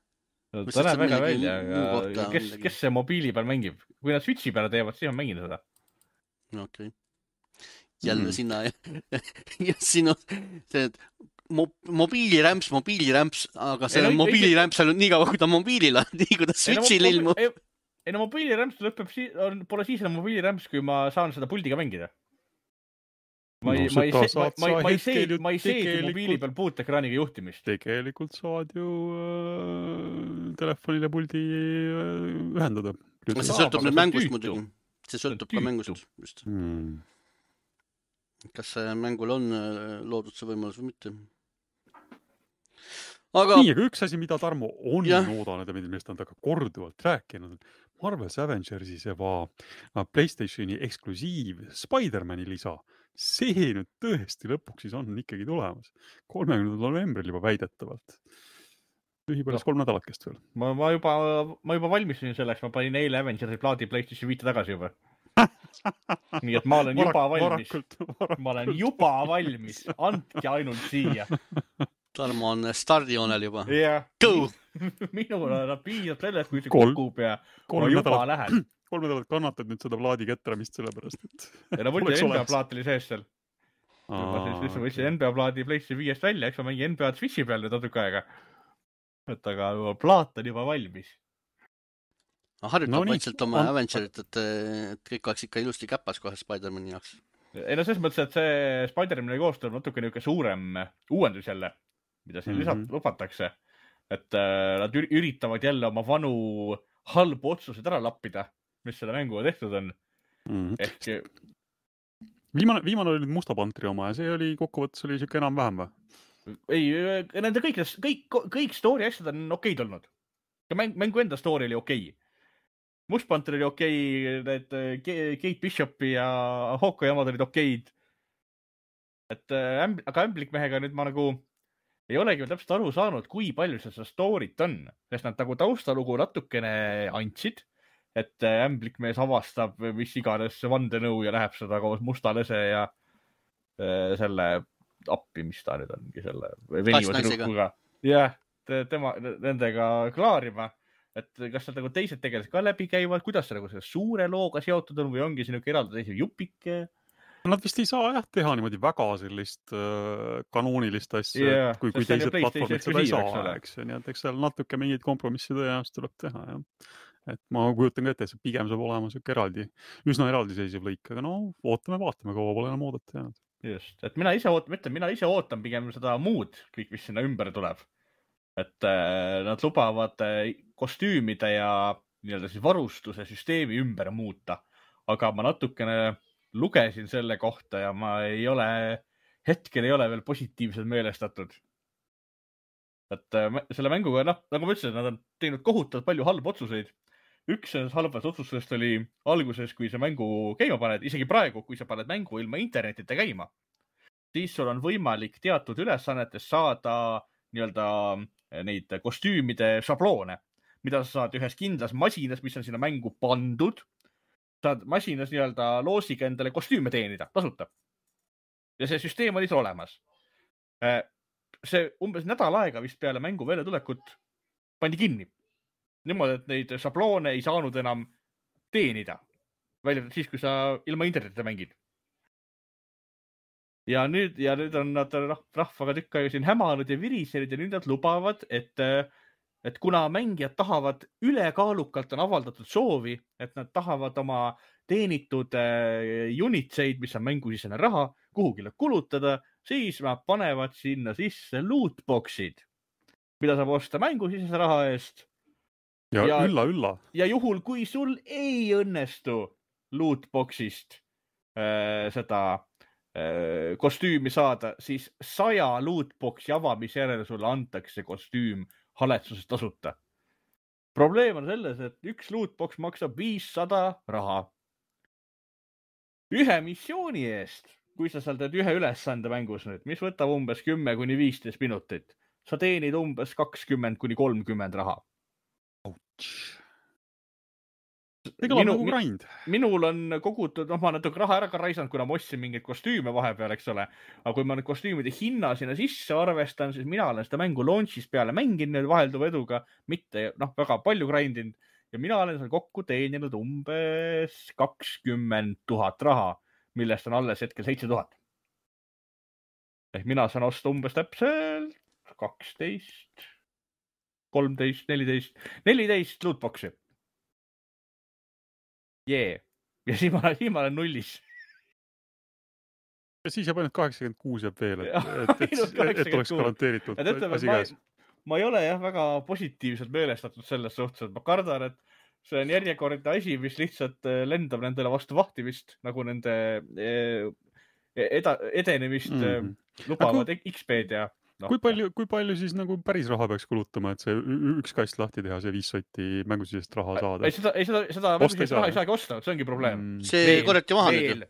Speaker 2: Ta näeb väga välja, aga kes see mobiili peal mängib? Kui nad Switchi peale teevad, siis on mängin seda.
Speaker 1: Okei. Jälle sinna ja sinu see mobiilirämps, aga see mobiilirämps on nii kaua, kui ta mobiilil on, nii kui ta Switchil ilmub.
Speaker 2: Ei no mobiilirämps lõpeb, pole siis enam mobiilirämps, kui ma saan seda puldiga mängida. Ma ei seegi mobiili peal puutekraaniga juhtimist.
Speaker 3: Tegelikult saad ju telefonile puldi ühendada.
Speaker 1: See sõltub nüüd mängust muidugi. See sõltub ka mängust. Just. Kas mängul on loodud see võimalus või mitte?
Speaker 3: Nii, aga üks asi, mida Tarmo on oodanud ja millest on ta ka korduvalt rääkinud, Marvel's Avengersis ja PlayStationi eksklusiiv Spider-Mani lisa. See nüüd tõesti lõpuks siis on ikkagi tulemas. 30. novembril juba väidetavalt. Ühipärast 3 nädalakest veel.
Speaker 2: Ma juba valmistusin selleks, ma panin eile Avengersi plaadi PlayStation 5 tagasi juba. Nii et ma olen juba valmis. Ma olen juba valmis. Andke ainult siia.
Speaker 1: Tarmo on stardijoonel juba.
Speaker 2: Yeah.
Speaker 1: Go!
Speaker 2: Minul on piisab sellest, kui see kukub ja ma juba lähen.
Speaker 3: 3 nädalat kannatad nüüd seda plaadi ketramist sellepärast, et...
Speaker 2: Ja no võtsin NBA plaat oli sees seal. Ma võtsin NBA plaadi PlayStation 5 välja, eks ma mängin NBA Switchi peal nüüd natuke aega. Et aga plaat on juba valmis.
Speaker 1: Harjutab vaikselt oma Avengerit, et kõik oleks ikka ilusti käpas kohe Spider-Mani jaoks.
Speaker 2: Ei no selles mõttes, et see Spider-Mani koostöö on natuke niuke suurem uuendus jälle, mida siin lisalt lubatakse. Et nad üritavad jälle oma vanu halbu otsused ära lappida, mis selle mänguga tehtud on. Ehk...
Speaker 3: Viimane oli nüüd Musta Pantri oma ja see oli kokkuvõttes oli siuke enam-vähem või?
Speaker 2: Ei, nende kõik story asjad on okeid olnud. Mängu enda story oli okei. Must Panther oli okei, need Kate Bishopi ja Hawkeye omad olid okeid. Aga Ämblikmehega nüüd ma nagu ei olegi täpselt aru saanud, kui palju seda story't on. Sest nad nagu taustalugu natukene andsid, et Ämblikmees avastab mis iganes vandenõu ja läheb seda koos Mustalese ja selle appi, mis ta nüüd ongi selle veniva tüdrukuga. Jah, nendega klaarima. Et kas nad nagu teised tegelased ka läbi käivad, kuidas see nagu selle suure looga seotud on või ongi siin eraldi teise jupike?
Speaker 3: Nad vist ei saa teha niimoodi väga sellist kanoonilist asja, kui teised platvormid seda ei saa, eks. Nii et eks seal natuke mingid kompromissid tõenäoliselt tuleb teha. Ja. Et ma kujutan ka ette, et see pigem saab olema üsna eraldiseisev lõik, aga no vaatame, kaua pole enam oodata jäänud.
Speaker 2: Just, et mina ise ootan pigem seda muud, kõik mis sinna ümber tuleb. Et nad lubavad kostüümide ja nii-öelda siis varustuse süsteemi ümber muuta, aga ma natukene lugesin selle kohta ja ma hetkel ei ole veel positiivselt meelestatud. Et selle mänguga, nagu ma ütlesin, nad on teinud kohutavalt palju halbu otsuseid. Üks halvast otsusest oli alguses, kui sa mängu käima paned, isegi praegu, kui sa paned mängu ilma internetita käima, siis sul on võimalik teatud ülesannetes saada nii-öelda neid kostüümide šabloone, mida sa saad ühes kindlas masinas, mis on sinna mängu pandud. Saad masinas nii-öelda loosiga endale kostüüme teenida, tasuta. Ja see süsteem oli olemas. See umbes nädal aega vist peale mängu väljatulekut pandi kinni. Niimoodi, et neid šabloone ei saanud enam teenida. Välja siis, kui sa ilma internetita mängid. ja nüüd on nad rahvaga tükk aega siin hämanud ja virisenud ja nüüd nad lubavad, et kuna mängijad tahavad ülekaalukalt on avaldatud soovi, et nad tahavad oma teenitud unitseid, mis on mängusisene raha, kuhugile kulutada, siis nad panevad sinna sisse lootboxid, mida saab osta mängusisese raha eest.
Speaker 3: Ja ülla.
Speaker 2: Ja juhul, kui sul ei õnnestu lootboxist seda kostüümi saada, siis 100 lootboxi avamise järel sulle antakse kostüüm haletsusest tasuta. Probleem on selles, et üks lootbox maksab 500 raha. Ühe missiooni eest, kui sa seal teed ühe ülesande mängus nüüd, mis võtab umbes 10-15 minutit, sa teenid umbes 20-30 raha.
Speaker 3: Ega on nagu grind.
Speaker 2: Minul on kogutud, ma natuke raha ära ka raisanud, kuna ma ostsin mingeid kostüüme vahepeal, eks ole. Aga kui ma nüüd kostüümide hinna sinna sisse arvestan, siis mina olen seda mängu launch'is peale mänginud vahelduva eduga, mitte väga palju grindinud. Ja mina olen seal kokku teeninud umbes 20 000 raha, millest on alles hetkel 7000. Ehk mina saan osta umbes täpselt 12, 13, 14 lootboxi. Ja siis ma olen nullis.
Speaker 3: Ja siis jääb ainult 86 jääb veel, et oleks garanteeritud asi käes.
Speaker 2: Ma ei ole väga positiivselt meelestatud selles suhtes, et ma kardan, et see on järjekordne asi, mis lihtsalt lendab nendele vastu vahtimist, nagu nende edenemist lubavad XP-d ja
Speaker 3: Kui palju siis nagu päris raha peaks kulutama, et see üks kast lahti teha, see 5 sotti mängusisest raha saada?
Speaker 2: Seda mängusisest raha ei saagi osta, see ongi probleem.
Speaker 1: See korjati maha nüüd.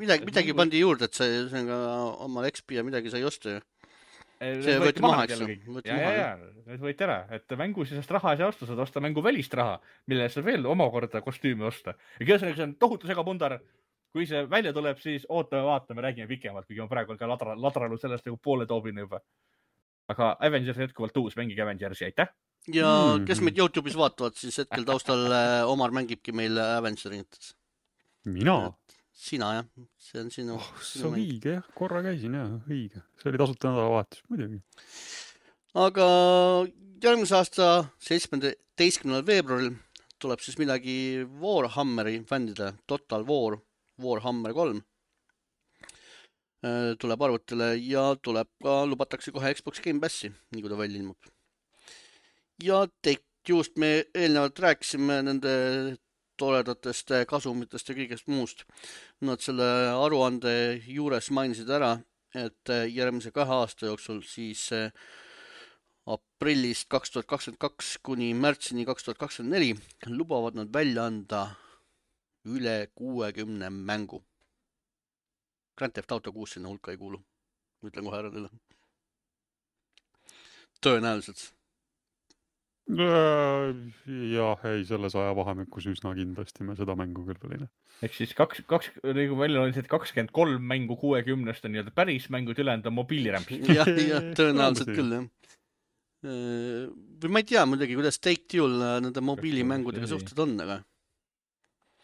Speaker 1: Midagi pandi juurde, et see on ka omal XP ja midagi sai osta ju. See võeti maha, eks ju.
Speaker 2: Need võeti ära, et mängusisest raha ei saa osta, saad osta mängu välist raha, mille saab veel omakorda kostüümi osta. Ja kõige see on tohutu segapundar. Kui see välja tuleb, siis vaatame, räägime pikemalt, kuigi on praegu ka ladranud sellest nagu poole toobine juba. Aga Avengers jätkuvalt uus, mängige Avengersi, aitäh!
Speaker 1: Ja kes meid YouTube'is vaatavad, siis hetkel taustal Omar mängibki meil Avengerit.
Speaker 3: Mina?
Speaker 1: Sina, jah. See on sinu.
Speaker 3: See on õige, jah. Korra käisin, jah. Õige. See oli tasuta nädalavahetus, muidugi.
Speaker 1: Aga järgmise aasta 17. veebruaril tuleb siis midagi Warhammeri fändide, Total War. Warhammer 3 tuleb arvutile ja tuleb ka, lubatakse kohe Xbox Game Passi, nii kui ta välja ilmub. Ja just me eelnevalt rääkisime nende toredatest kasumitest ja kõigest muust. Nad selle aruande juures mainisid ära, et järgmise 2 aasta jooksul siis aprillist 2022 kuni märtsini 2024 lubavad nad välja anda üle 60 mängu. Grand Theft Auto 6 sinna hulka ei kuulu. Ütlen kohe ära teile. Tõenäoliselt.
Speaker 3: Jah, ei, selles ajavahemikus üsna kindlasti me seda mängu küll veel ei näe.
Speaker 2: Ehk siis nagu välja oli 23 mängu 60-st on nii-öelda päris mängud ülejäänud on mobiilirämpsid.
Speaker 1: jah, tõenäoliselt küll, jah. Või ma ei tea muidugi, kuidas Take Duel nende mobiilimängudega suhted on, aga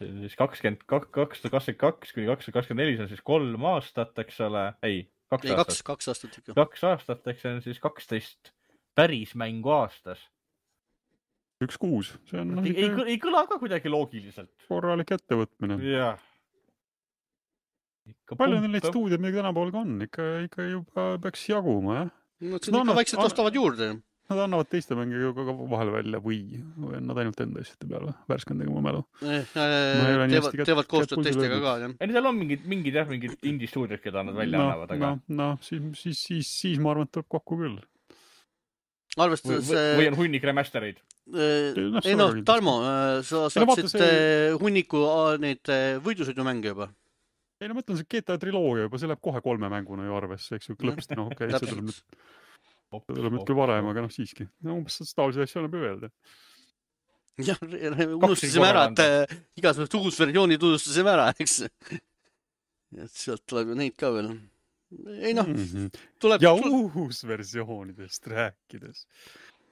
Speaker 2: siis 2022 kuni 2024 on siis 3 aastat, eks ole. Ei, 2 aastat.
Speaker 1: 2 aastat ikka.
Speaker 2: 2 aastat, eks see on siis 12 päris mängu aastas.
Speaker 3: 1-6. See on
Speaker 2: ei kõla ka kuidagi loogiliselt.
Speaker 3: Korralik ettevõtmine.
Speaker 2: Jah.
Speaker 3: Palju neil neid stuudiad midagi tänapool ka on? Ikka juba peaks jaguma, jah?
Speaker 1: Nad ikka vaikselt ostavad juurde.
Speaker 3: Nad annavad teiste mängiga ka vahel välja või nad ainult enda asjade peale värskendega ma mälu.
Speaker 1: Teevad koostööd teistega ka, jah.
Speaker 2: Ei, seal on mingid indie-stuudiod, keda nad välja annavad, aga...
Speaker 3: siis ma arvan, et tuleb kokku küll.
Speaker 1: Arvestades...
Speaker 2: Või on hunnik remastereid?
Speaker 1: Ei Tarmo, sa saaksid hunniku neid võidusõidu mänge juba.
Speaker 3: Ei, ma mõtlen, see GTA triloogia juba, see läheb kohe 3 mänguna ju arvesse, eks ju, klõpsti, okei, see tuleb nüüd küll varem, aga siiski. Umbes taolisi asju annab öelda.
Speaker 1: Jah, unustasime ära, et igasugust uus versiooni tunnustasime ära, eks. Sealt tuleb ju neid ka veel. Ei tuleb...
Speaker 3: Ja uus versioonidest rääkides.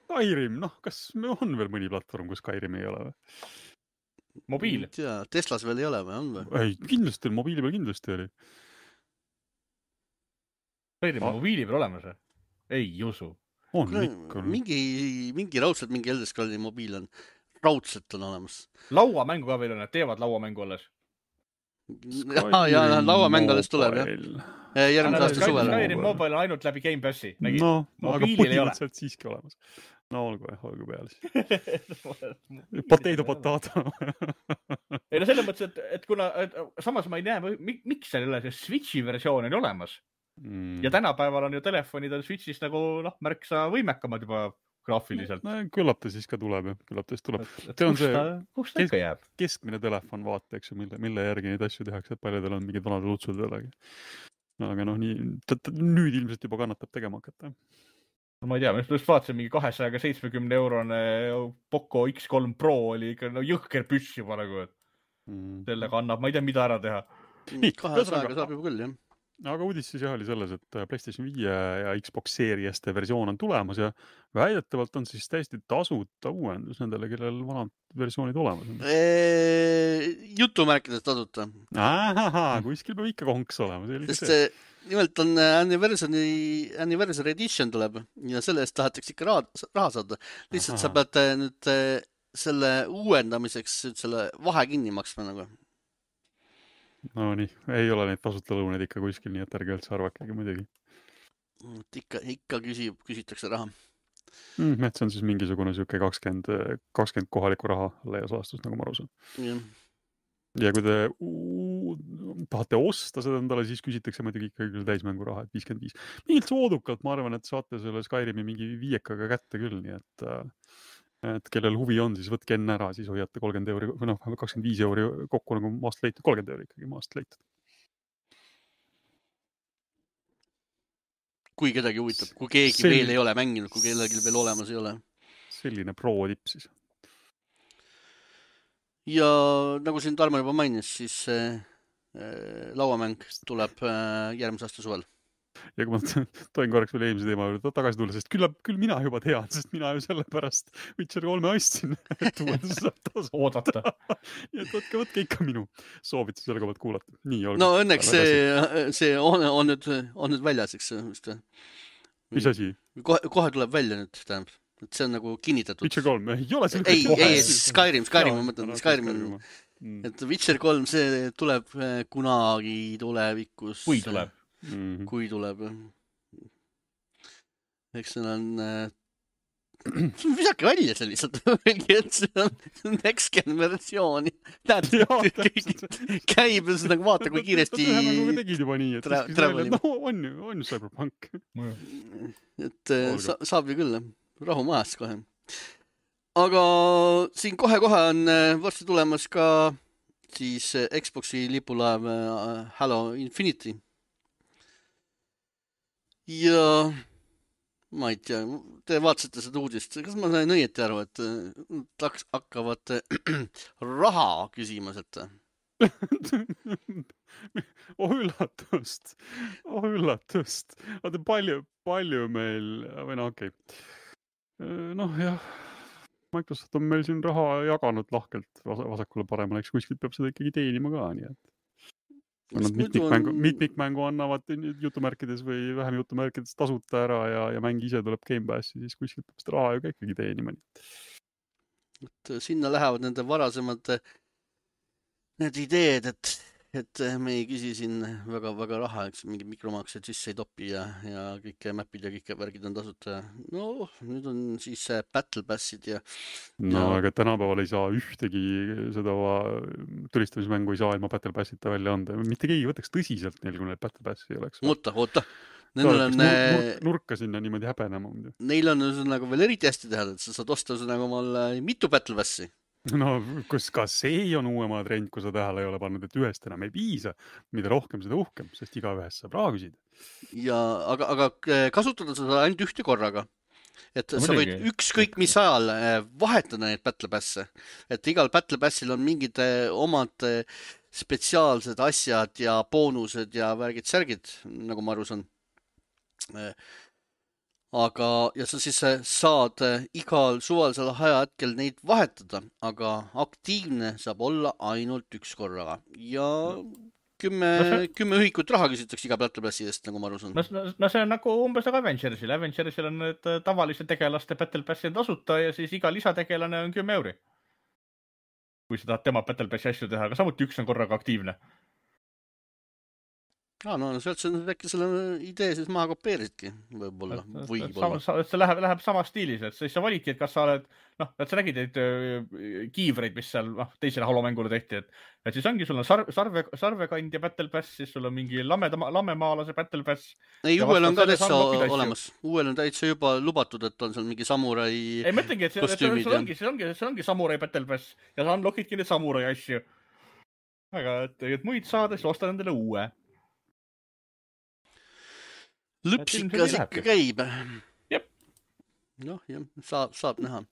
Speaker 3: Skyrim, kas on veel mõni platvorm, kus Skyrim ei ole või?
Speaker 2: Mobiil.
Speaker 1: Teslas veel ei ole või on või?
Speaker 3: Ei, kindlasti, mobiili peal kindlasti oli.
Speaker 2: Mobiili peal olemas või? Ei usu.
Speaker 3: On ikka.
Speaker 1: Mingi raudselt mingi Elder Scrolli mobiil on. Raudselt on olemas.
Speaker 2: Lauamängu ka veel on, et teevad lauamängu alles.
Speaker 1: Ja lauamäng alles tuleb, jah. Järgmise aasta suvel.
Speaker 2: Skyrim Mobile on ainult läbi Game Passi.
Speaker 3: No, aga põhimõtteliselt siiski olemas. No olgu peale siis. Potato.
Speaker 2: Ei no selles mõttes, et kuna samas ma ei näe, miks seal ei ole see Switchi versioon on olemas. Ja tänapäeval on ju telefonid on Switchis nagu märksa võimekamad juba graafiliselt.
Speaker 3: No, küllap ta siis ka tuleb.
Speaker 2: See on see
Speaker 3: keskmine telefon vaata, eks ju, mille järgi neid asju tehakse, et paljudel on mingid vanad lutsud jällegi. Aga nüüd ilmselt juba kannatab tegema hakata.
Speaker 2: No ma ei tea, ma just vaatasin mingi 270 eurone Poco X3 Pro oli ikka jõhker püss juba nagu, et sellega annab, ma ei tea, mida ära teha.
Speaker 1: 200 saab juba küll, jah.
Speaker 3: Aga uudis siis jah oli selles, et PlayStation 5 ja Xbox Serieste versioon on tulemas ja väidetavalt on siis täiesti tasuta uuendus nendele, kellel vanad versioonid olemas on.
Speaker 1: Jutumärkides tasuta.
Speaker 3: Kuskil peab ikka konks olema.
Speaker 1: Sest nimelt on Anniversary Edition tuleb ja selle eest tahetakse ikka raha saada. Lihtsalt sa pead nüüd selle uuendamiseks selle vahe kinni maksma nagu.
Speaker 3: No nii, ei ole neid tasuta lõuneid ikka kuskil, nii et ärge üldse arvakegi muidugi.
Speaker 1: Ikka küsitakse raha.
Speaker 3: See on siis mingisugune siuke 20 kohalikku raha leias aastas, nagu ma aru saan. Ja kui te tahate osta seda endale, siis küsitakse muidugi ikka küll täismängu raha, et 55. Mingilt soodukalt, ma arvan, et saate selle Skyrimi mingi 5-kaga kätte küll, nii et kellel huvi on, siis võtke enne ära, siis hoiate 30 euri, või 25 euri kokku nagu maast leitud, 30 euri ikkagi maast leitud.
Speaker 1: Kui kedagi huvitab, kui keegi veel ei ole mänginud, kui kellelgi veel olemas ei ole.
Speaker 3: Selline pro-tipp siis.
Speaker 1: Ja nagu siin Tarmo juba mainis, siis lauamäng tuleb järgmise aasta suvel.
Speaker 3: Ja kui ma toin korraks veel eelmise teema juurde tagasi tulla, sest küll mina juba tean, sest mina ju sellepärast Witcher 3 ostsin, et uuendus saab taas
Speaker 2: oodata.
Speaker 3: Ja et võtke ikka minu soovitusele ka kuulata. Nii,
Speaker 1: no õnneks see on nüüd väljas, eks.
Speaker 3: Mis asi?
Speaker 1: Kohe tuleb välja nüüd, tähendab. Et see on nagu kinnitatud.
Speaker 3: Witcher 3, ei ole selle
Speaker 1: ei, Skyrim, ma mõtlen, Skyrim. Et Witcher 3, see tuleb kunagi tulevikus. Kui tuleb. Eks see on visake välja see lihtsalt. Et see on next-gen versiooni. Käib ja nagu vaata, kui kiiresti
Speaker 3: tegid juba nii, et on Cyberpunk.
Speaker 1: Et saab ju küll. Rahu majas kohe. Aga siin kohe on varsti tulemas ka siis Xboxi lipulaev Halo Infinity. Ja ma ei tea, te vaatasite seda uudist. Kas ma sain õieti aru, et hakkavad raha küsima sealt?
Speaker 3: Üllatust. Vaata, palju meil, või okei. Jah, Microsoft on meil siin raha jaganud lahkelt vasakule paremale, eks kuskilt peab seda ikkagi teenima ka, nii et mitmikmängu annavad jutumärkides või vähem jutumärkides tasuta ära ja mäng ise tuleb Game Passi, siis kuskilt peab seda raha ju ka ikkagi teenima.
Speaker 1: Et sinna lähevad nende varasemad need ideed, et me ei küsi siin väga raha, eks mingi mikromaksed sisse ei topi ja kõik mapid ja kõik värgid on tasuta. No, nüüd on siis Battle Passid ja...
Speaker 3: aga tänapäeval ei saa ühtegi seda tulistamismängu ei saa ilma Battle Passita välja anda. Mitte keegi võtaks tõsiselt neil, kui neil Battle Passi ei oleks.
Speaker 1: Oota.
Speaker 3: Nurka sinna niimoodi häbenema.
Speaker 1: Neil on nagu veel eriti hästi teha, et sa saad osta nagu omal mitu Battle Passi.
Speaker 3: No, ka see on uuema trend, kui sa tähele ei ole pannud, et ühest enam ei piisa, mida rohkem, seda uhkem, sest iga ühest saab raha küsida.
Speaker 1: Ja, aga kasutada seda ainult ühte korraga. Et sa võid ükskõik mis ajal vahetada neid Battle Passe. Et igal Battle Passil on mingid omad spetsiaalsed asjad ja boonused ja värgid-särgid, nagu ma aru saan. aga, ja sa siis saad igal suvalisel ajahetkel neid vahetada, aga aktiivne saab olla ainult üks korraga ja 10 ühikut raha küsitakse iga Battle Passi eest, nagu ma aru saan.
Speaker 2: No see on nagu umbes nagu Avengersil. Avengersil on need tavaliste tegelaste Battle Passi tasuta ja siis iga lisategelane on 10 €. Kui sa tahad tema Battle Passi asju teha, aga samuti üks on korraga aktiivne.
Speaker 1: No sealt sa äkki selle idee siis maha kopeerisidki, võib-olla.
Speaker 2: See läheb sama stiilis, et siis sa validki, et kas sa oled, et sa nägid neid kiivreid, mis seal teisele Halo-mängule tehti, et siis ongi, sul on sarvekandja Battle Pass, siis sul on mingi lamemaalase Battle Pass.
Speaker 1: Ei, uuel on ka täitsa olemas. Uuel on täitsa juba lubatud, et on seal mingi samurai
Speaker 2: ei, mõtlengi, et see ongi samurai Battle Pass ja sa unlockidki neid samurai asju. Aga et muid saada, siis osta nendele uue.
Speaker 1: Lõpsikas ikka käib.
Speaker 2: Jep.
Speaker 1: Noh, jah, saab näha.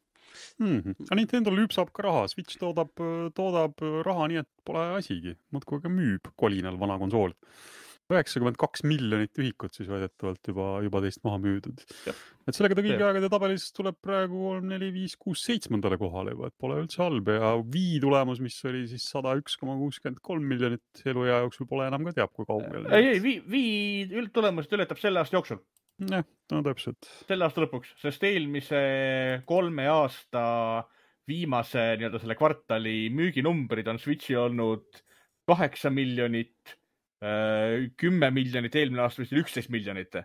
Speaker 3: Nintendo lüpsab ka raha. Switch toodab raha nii, et pole asigi. Muudkui aga müüb kolinal vana konsool. 92 miljonit ühikut siis väidetavalt juba teist maha müüdud. Et sellega ta kõigi aegade tabelis tuleb praegu 3, 4, 5, 6, 7. kohale juba, et pole üldse halb. Ja Wii tulemus, mis oli siis 101,63 miljonit eluea jooksul, pole enam ka teab, kui kaugel.
Speaker 2: Ei, Wii tulemused ületab selle aasta jooksul.
Speaker 3: Jah, no täpselt.
Speaker 2: Selle aasta lõpuks, sest eelmise 3 aasta viimase selle kvartali müüginumbrid on Switchi olnud 8 miljonit, 10 miljonit, eelmine aasta vist 11 miljonit.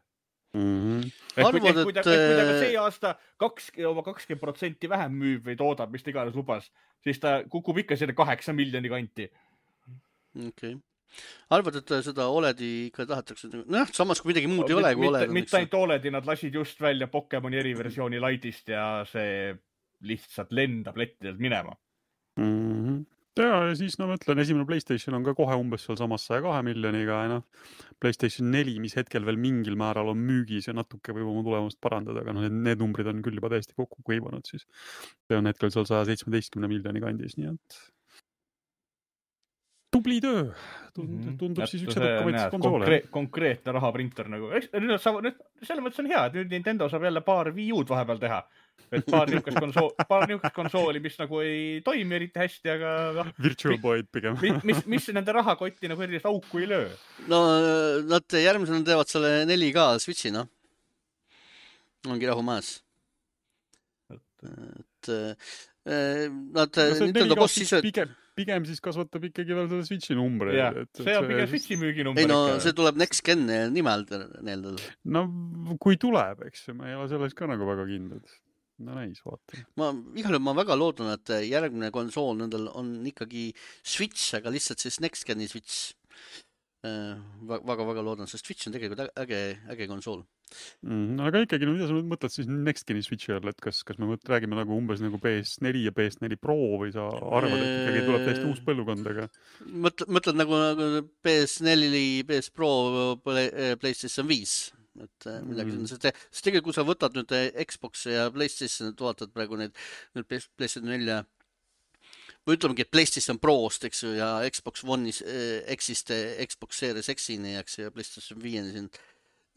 Speaker 1: Arvad,
Speaker 2: kui ta see aasta 20% vähem müüb või toodab, mis ta iganes lubas, siis ta kukub ikka selle 8 miljoni kanti.
Speaker 1: Okei. Arvad, et seda OLED-i ikka tahetakse, samas kui midagi muud ei ole kui OLED.
Speaker 2: Mitte ainult OLED-i, nad lasid just välja Pokemoni eriversiooni Lightist ja see lihtsalt lendab lettidelt minema.
Speaker 3: Ja siis ma mõtlen, esimene PlayStation on ka kohe umbes seal samas 102 miljoniga ja PlayStation 4, mis hetkel veel mingil määral on müügis ja natuke võib oma tulemust parandada, aga need numbrid on küll juba täiesti kokku kuivanud siis. See on hetkel seal 117 miljoni kandis, nii et tubli töö. Tundub siis üks edukamaid konsoole.
Speaker 2: Konkreetne rahaprinter nagu. Selle mõttes on hea, et nüüd Nintendo saab jälle paar Wii U-d vahepeal teha. Et paar niukest konsooli, mis nagu ei toimi eriti hästi, aga
Speaker 3: Virtual Boyd pigem.
Speaker 2: mis nende rahakotti nagu erilist auku ei löö?
Speaker 1: No nad järgmisena teevad selle 4K Switchi, ongi rahu maas. Nintendo boss ise...
Speaker 3: Pigem siis kasvatab ikkagi veel seda Switchi numbri.
Speaker 2: See on pigem Switchi müüginumber.
Speaker 1: Ei see tuleb Next Gen nimel neeldada.
Speaker 3: No kui tuleb, eks ma ei ole selles ka nagu väga kindlad. No näis, vaata.
Speaker 1: Igal juhul ma väga loodan, et järgmine konsool nendel on ikkagi Switch, aga lihtsalt siis Next Geni Switch. Väga loodan, sest Switch on tegelikult äge konsool.
Speaker 3: Aga ikkagi, mida sa mõtled siis Next Geni Switchi all, et kas me räägime nagu umbes nagu PS4 ja PS4 Pro või sa arvad, et ikkagi tuleb täiesti uus põlvkondaga?
Speaker 1: Mõtled nagu PS4, PS Pro, PlayStation 5. Et midagi on, sest tegelikult kui sa võtad nüüd Xbox ja PlayStation, et vaatad praegu need PlayStation 4 või ütlemegi, et PlayStation Prost, eks ju, ja Xbox One'is X-ist Xbox Series X-ini, eks ju, ja PlayStation 5-ni siin.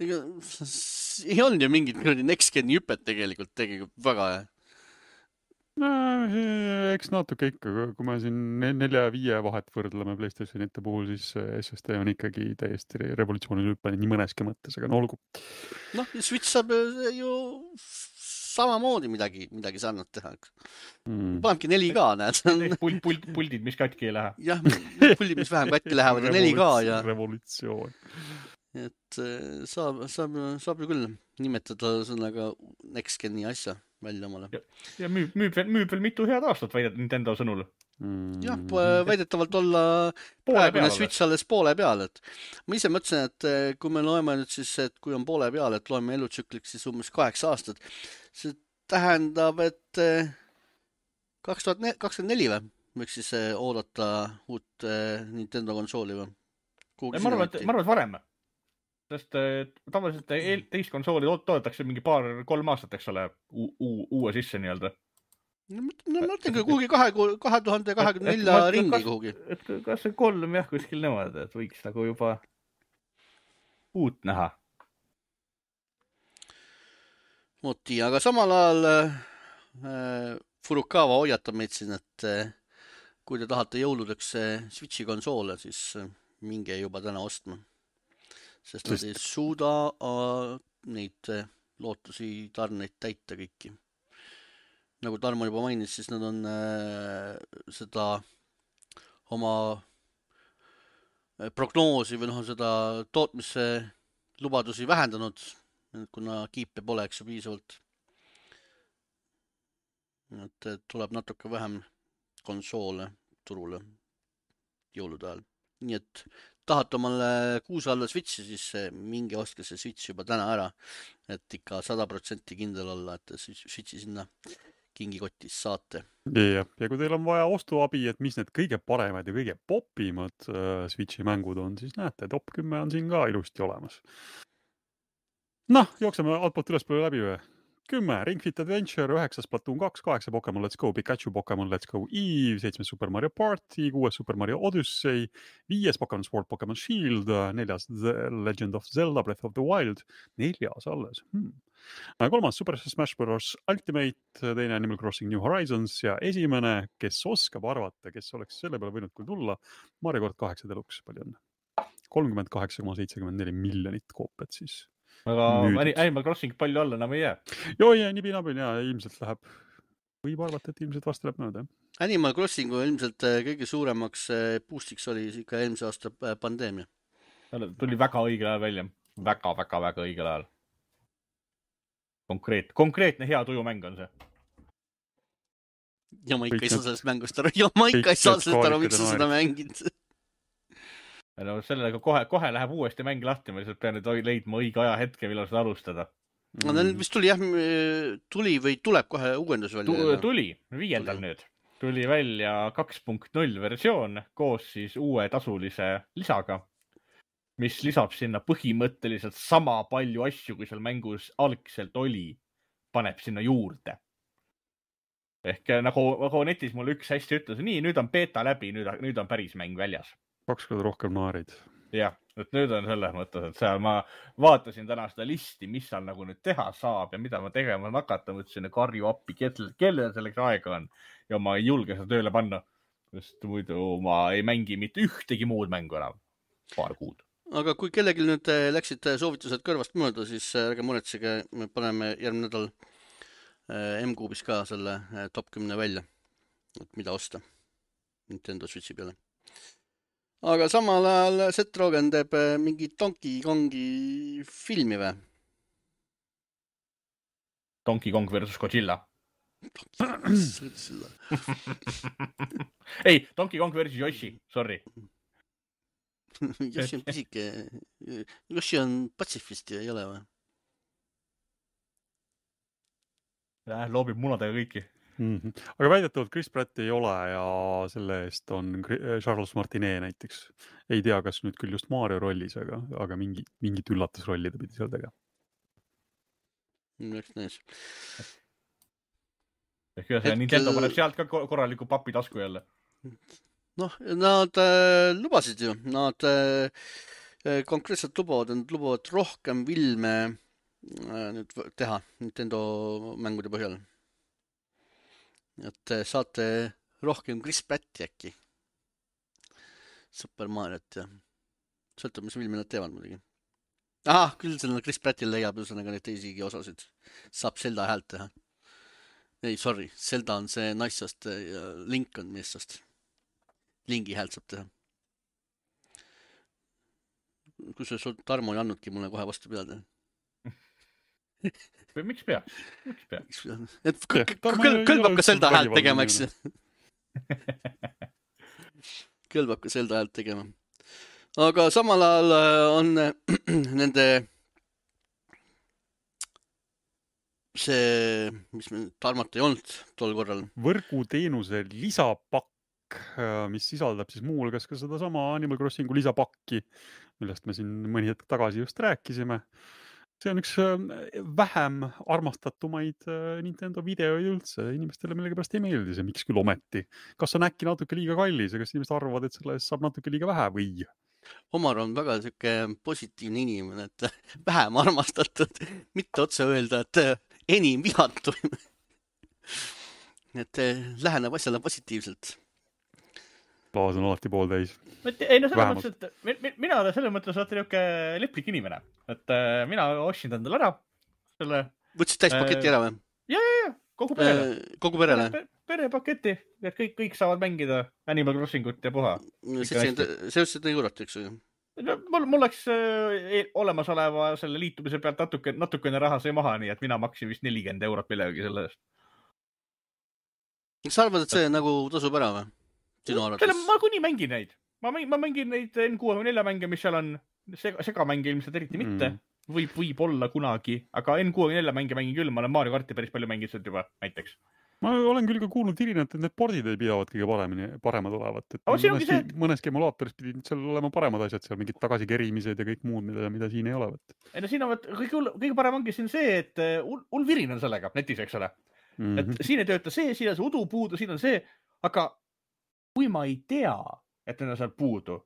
Speaker 1: Ei on ju mingit Next Geni hüpet tegelikult väga hea.
Speaker 3: No, eks natuke ikka, kui me siin 4 ja 5 vahet võrdleme PlayStationite puhul, siis SSD on ikkagi täiesti revolutsioonil hüppeni nii mõneski mõttes, aga olgu.
Speaker 1: Switch saab ju samamoodi midagi sarnat teha. Panebki 4K, näed.
Speaker 2: Puldid, mis katki ei lähe.
Speaker 1: Jah, puldid, mis vähem katki lähevad ja 4K ja...
Speaker 3: Revolutsioon.
Speaker 1: Et saab ju küll nimetada sõnaga Next Geni asja välja omale.
Speaker 2: Ja müüb veel mitu head aastat väidet Nintendo sõnul.
Speaker 1: Jah, väidetavalt olla praegune Switch alles poole peal. Et ma ise mõtlesin, et kui me loeme nüüd siis, et kui on poole peal, et loeme elutsükliks siis umbes 8 aastat, see tähendab, et 2024 või? Võiks siis oodata uut Nintendo konsooli või?
Speaker 2: Ma arvan, et varem. Sest tavaliselt teist konsooli toodetakse mingi 3 aastat, eks ole, uue sisse nii-öelda.
Speaker 1: No mõtlengi kuhugi 2024 ringi kuhugi.
Speaker 2: Et kas see 3 jah kuskil nemad, et võiks nagu juba uut näha.
Speaker 1: Moti, aga samal ajal Furukawa hoiatab meid siin, et kui te tahate jõuludeks Switchi konsoole, siis minge juba täna ostma. Sest nad ei suuda neid lootusi tarneid täita kõiki. Nagu Tarmo juba mainis, siis nad on seda oma prognoosi või seda tootmise lubadusi vähendanud, kuna kiipe pole, eks ju, piisavalt. Et tuleb natuke vähem konsoole turule jõulude ajal. Nii et tahate omale kuuse alla Switchi, siis minge ostke see Switch juba täna ära, et ikka 100% kindel olla, et Switchi sinna kingikotis saate.
Speaker 3: Ja kui teil on vaja ostuabi, et mis need kõige paremad ja kõige popimad Switchi mängud on, siis näete, top 10 on siin ka ilusti olemas. Noh, jookseme altpoolt ülespoole läbi või? 10 Ring Fit Adventure, 9 Splatoon 2, 8 Pokemon Let's Go, Pikachu Pokemon Let's Go Eve, 7 Super Mario Party, 6 Super Mario Odyssey, 5 Pokemon Sword, Pokemon Shield, 4 The Legend of Zelda Breath of the Wild, 4 alles. 3 Super Smash Bros. Ultimate, 2 Animal Crossing New Horizons ja 1, kes oskab arvata, kes oleks selle peale võinud küll tulla, Mario Kart 8 Deluxe, palju on? 38,74 miljonit koopiat siis.
Speaker 2: Aga Animal Crossing palju alla enam ei jää.
Speaker 3: Joo, ja nipinabin ja ilmselt läheb. Võib arvata, et ilmselt vast läheb mööda.
Speaker 1: Animal Crossingu ilmselt kõige suuremaks boostiks oli ikka eelmise aasta pandeemia.
Speaker 2: Tuli väga õigel ajal välja. Väga õigel ajal. Konkreetne hea tujumäng on see.
Speaker 1: Ja ma ikka ei saa sellest mängust aru. Ja ma ikka ei saa sellest aru, miks sa seda mängid.
Speaker 2: No sellega kohe läheb uuesti mäng lahti, ma lihtsalt pean nüüd leidma õige aja hetke, millal seda alustada.
Speaker 1: No vist tuli või tuleb kohe uuendus välja?
Speaker 2: Tuli, 5. nüüd. Tuli välja 2.0 versioon koos siis uue tasulise lisaga, mis lisab sinna põhimõtteliselt sama palju asju, kui seal mängus algselt oli, paneb sinna juurde. Ehk nagu netis mulle üks hästi ütles, nii, nüüd on beta läbi, nüüd on päris mäng väljas.
Speaker 3: 2 korda rohkem naarid.
Speaker 2: Jah, et nüüd on selles mõttes, et seal ma vaatasin täna seda listi, mis seal nagu nüüd teha saab ja mida ma tegema nakata, mõtlesin karju appi, kellel selleks aega on ja ma ei julge seda tööle panna, sest muidu ma ei mängi mitte ühtegi muud mängu enam paar kuud.
Speaker 1: Aga kui kellelgi nüüd läksid soovitused kõrvast mööda, siis ärge muretsege, me paneme järgmine nädal M-Kuubis ka selle top 10 välja, et mida osta Nintendo Switchi peale. Aga samal ajal Seth Rogen teeb mingi Donkey Kongi filmi või?
Speaker 2: Donkey Kong versus Godzilla. Ei, Donkey Kong versus Yoshi, sorry.
Speaker 1: Yoshi on pisike. Yoshi on patsifist ja ei ole või?
Speaker 2: Loobib munadega kõiki.
Speaker 3: Aga väidetavalt Chris Pratt ei ole ja selle eest on Charles Martinet näiteks. Ei tea, kas nüüd küll just Mario rollis, aga mingit üllatusrolli ta pidi seal tegema.
Speaker 1: Eks näis.
Speaker 2: Ehk see Nintendo paneb sealt ka korraliku papi tasku jälle.
Speaker 1: Noh, nad lubasid ju. Nad konkreetselt lubavad rohkem filme nüüd teha Nintendo mängude põhjal. Et saate rohkem Chris Pratti äkki. Super Mariot ja sõltub, mis filmi nad teevad muidugi. Küll selle Chris Prattil leiab ühesõnaga neid teisigi osasid. Saab Zelda häält teha. Ei, sorry, Zelda on see naissast ja Link on meessast. Lingi häält saab teha. Kui see Tarmo ei annudki mulle kohe vastu peale.
Speaker 2: Miks pea?
Speaker 1: Et kõlbab ka Zelda häält tegema, eks? Kõlbab ka Zelda häält tegema. Aga samal ajal on nende see, mis Tarmat ei olnud tol korral.
Speaker 3: Võrguteenuse lisapakk, mis sisaldab siis muu hulgas ka seda sama Animal Crossingu lisapakki, millest me siin mõni hetk tagasi just rääkisime. See on üks vähem armastatumaid Nintendo videoid üldse. Inimestele millegipärast ei meeldi see, miks küll ometi. Kas on äkki natuke liiga kallis ja kas inimesed arvavad, et selle saab natuke liiga vähe või?
Speaker 1: Omar on väga siuke positiivne inimene, et vähem armastatud, mitte otse öelda, et enim vihatuim. Et läheneb asjale positiivselt.
Speaker 3: Klaas on alati pooltäis.
Speaker 2: Ei no selles mõttes, et mina olen selles mõttes niuke leplik inimene, et mina ostsin endale ära selle.
Speaker 1: Võtsid täispaketi ära või?
Speaker 2: Ja, kogu perele.
Speaker 1: Kogu perele?
Speaker 2: Perepaketi, et kõik saavad mängida Animal Crossingut ja puha.
Speaker 1: See ütlesid eurot, eks ju?
Speaker 2: Mul läks olemasoleva selle liitumise pealt natukene raha sai maha, nii et mina maksin vist 40 eurot millegagi selle eest.
Speaker 1: Kas sa arvad, et see nagu tasub ära või?
Speaker 2: Ma kuni mängin neid. Ma mängin neid N64 mänge, mis seal on segamänge ilmselt eriti mitte. Võib olla kunagi, aga N64 mänge mängin küll. Ma olen Mario Karti päris palju mänginud sealt juba, näiteks.
Speaker 3: Ma olen küll ka kuulnud Irinat, et need pordid ei pidavat kõige paremad olevat. Mõneski emulaatoris pidid seal olema paremad asjad, seal mingid tagasikerimised ja kõik muud, mida siin ei ole.
Speaker 2: Ei no siin on kõige parem ongi siin see, et hull virin on sellega netis, eks ole. Et siin ei tööta see, siin on see udu puudu, siin on see, aga kui ma ei tea, et need on seal puudu,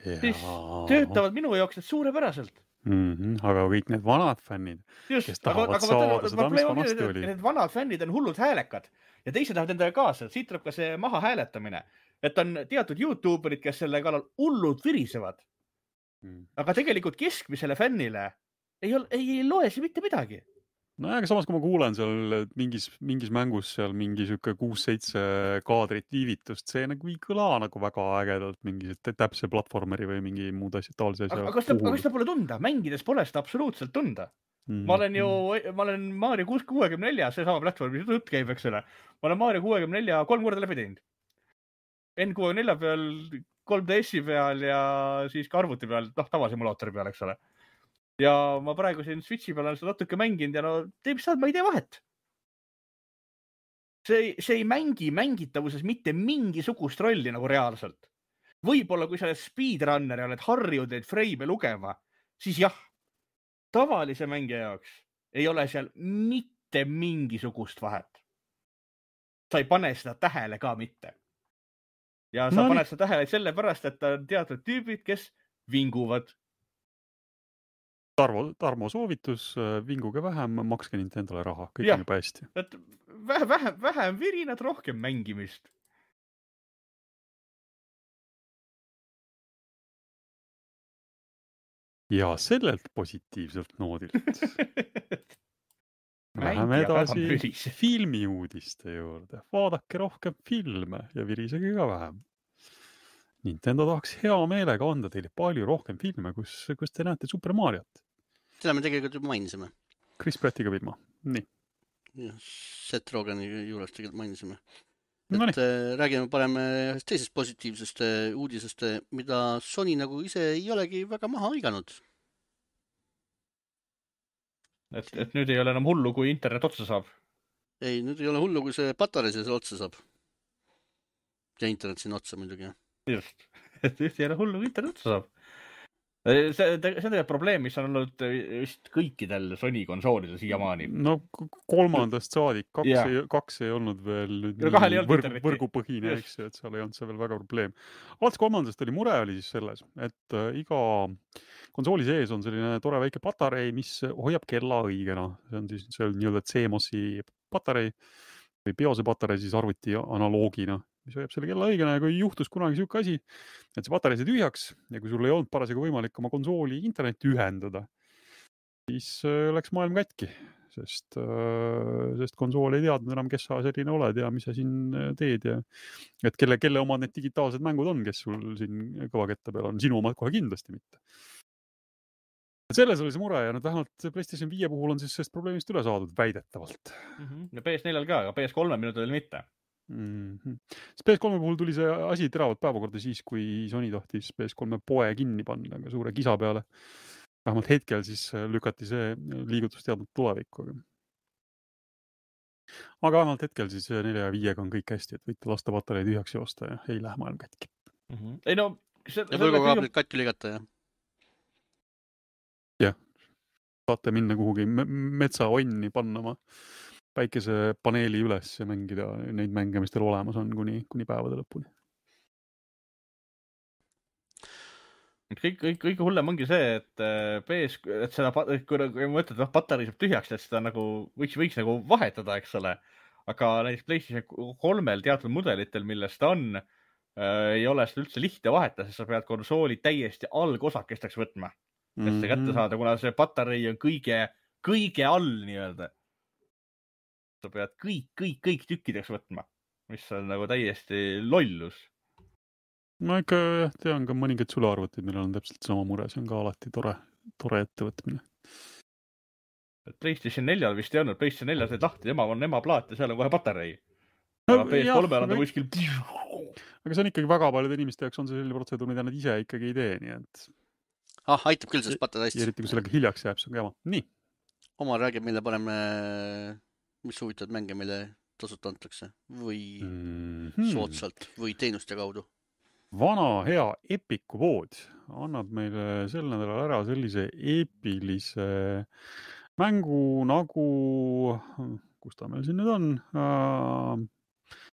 Speaker 2: siis töötavad minu jaoks need suurepäraselt.
Speaker 3: Aga kõik need vanad fännid, kes tahavad saada seda, mis vanasti oli.
Speaker 2: Need vanad fännid on hullud häälekad ja teised tahavad endaga kaasa. Siit tuleb ka see maha hääletamine, et on teatud YouTuberid, kes selle kallal hullud virisevad. Aga tegelikult keskmisele fännile ei loe see mitte midagi.
Speaker 3: No aga samas, kui ma kuulen seal mingis mängus seal mingi 6-7 kaadrit viivitust, see nagu ei kõla nagu väga ägedalt mingi täpse platvormeri või mingi muud asjad taolise asja.
Speaker 2: Aga seda pole tunda, mängides pole seda absoluutselt tunda. Ma olen Mario 64, see sama platvorm, mis jutt käib, eks ole. Ma olen Mario 64 3 korda läbi teinud. N64 peal, 3DS-i peal ja siis ka arvuti peal, tavasimulaatori peal, eks ole. Ja ma praegu siin Switchi peal olen seda natuke mänginud ja ma ei tea vahet. See ei mängitavuses mitte mingisugust rolli nagu reaalselt. Võib-olla kui sa oled speedrunner ja oled harjunud neid freime lugema, siis jah, tavalise mängija jaoks ei ole seal mitte mingisugust vahet. Sa ei pane seda tähele ka mitte. Ja sa paned seda tähele sellepärast, et on teatud tüübid, kes vinguvad.
Speaker 3: Tarmo soovitus, vinguge vähem, makske Nintendole raha, kõik on juba hästi.
Speaker 2: Et vähem virinad, rohkem mängimist.
Speaker 3: Ja sellelt positiivselt noodilt läheme edasi filmiuudiste juurde. Vaadake rohkem filme ja virisege ka vähem. Nintendo tahaks hea meelega anda teile palju rohkem filme, kus te näete Super Mariot.
Speaker 1: Seda me tegelikult juba mainisime.
Speaker 3: Chris Prattiga filma. Nii.
Speaker 1: Ja, Seth Rogeni juures tegelikult mainisime. Et räägime parem teisest positiivsest uudisest, mida Sony nagu ise ei olegi väga maha hõiganud.
Speaker 2: Et nüüd ei ole enam hullu, kui internet otsa saab.
Speaker 1: Ei, nüüd ei ole hullu, kui see patarei see otsa saab. Ja internet siin otsa muidugi.
Speaker 2: Just. Et nüüd ei ole hullu, kui internet otsa saab. See on tegelikult probleem, mis on olnud vist kõikidel Sony konsoolidel siiamaani.
Speaker 3: No kolmandast saadik, kaks ei olnud veel võrgupõhine, eks ju, et seal ei olnud see veel väga probleem. Alates kolmandast oli mure oli siis selles, et iga konsooli sees on selline tore väike patarei, mis hoiab kella õigena. See on siis nii-öelda CMOS-i patarei või BIOS-e patarei siis arvuti analoogina, mis hoiab selle kella õigena ja kui juhtus kunagi siuke asi, et see patarei sai tühjaks ja kui sul ei olnud parasjagu võimalik oma konsooli internetti ühendada, siis läks maailm katki, sest konsool ei teadnud enam, kes sa selline oled ja mis sa siin teed ja et kelle omad need digitaalsed mängud on, kes sul siin kõvaketta peal on, sinu omad kohe kindlasti mitte. Selles oli see mure ja vähemalt PlayStation 5 puhul on siis sellest probleemist üle saadud väidetavalt.
Speaker 2: Ja PS4 ka, aga PS3 minutil mitte.
Speaker 3: PS3 puhul tuli see asi teravalt päevakorda siis, kui Sony tahtis PS3 poe kinni panna suure kisa peale. Vähemalt hetkel siis lükati see liigutusteadnud tulevikku. Aga vähemalt hetkel siis 4 ja 5 on kõik hästi, et võite lasta patarei tühjaks joosta ja ei lähe maailm kätki.
Speaker 2: Ei no...
Speaker 1: Ja võrgukaablit katki ligata, jah?
Speaker 3: Jah, saate minna kuhugi metsaonni panna oma päikesepaneeli üles ja mängida neid mänge, mis teil olemas on kuni päevade lõpuni.
Speaker 2: kõige hullem ongi see, et et seda, kui mõtled, patarii saab tühjaks, et seda nagu võiks nagu vahetada, eks ole. Aga näiteks PlayStation 3-l teatud mudelitel, millest ta on, ei ole seda üldse lihtne vahetada, sest sa pead konsooli täiesti algosakesteks võtma. Et see kätte saada, kuna see patarei on kõige all nii-öelda. Sa pead kõik tükkideks võtma, mis on nagu täiesti lollus.
Speaker 3: Ma ikka tean ka mõningaid sülearvutid, millel on täpselt sama mure, see on ka alati tore ettevõtmine.
Speaker 2: PlayStation 4 vist ei olnud, PlayStation 4 said lahti, on ema plaat ja seal on kohe patarei. Aga PS3-l on ta kuskil...
Speaker 3: Aga see on ikkagi väga paljude inimeste jaoks on see selline protseduur, mida nad ise ikkagi ei tee, nii et...
Speaker 1: aitab küll sellest patareist.
Speaker 3: Eriti kui sellega hiljaks jääb, see on jama. Nii.
Speaker 1: Oma räägib, mille paneme, mis huvitavad mänge, mille tasuta antakse või soodsalt või teenuste kaudu.
Speaker 3: Vana hea Epiku pood annab meile sel nädalal ära sellise eepilise mängu nagu, kus ta meil siin nüüd on,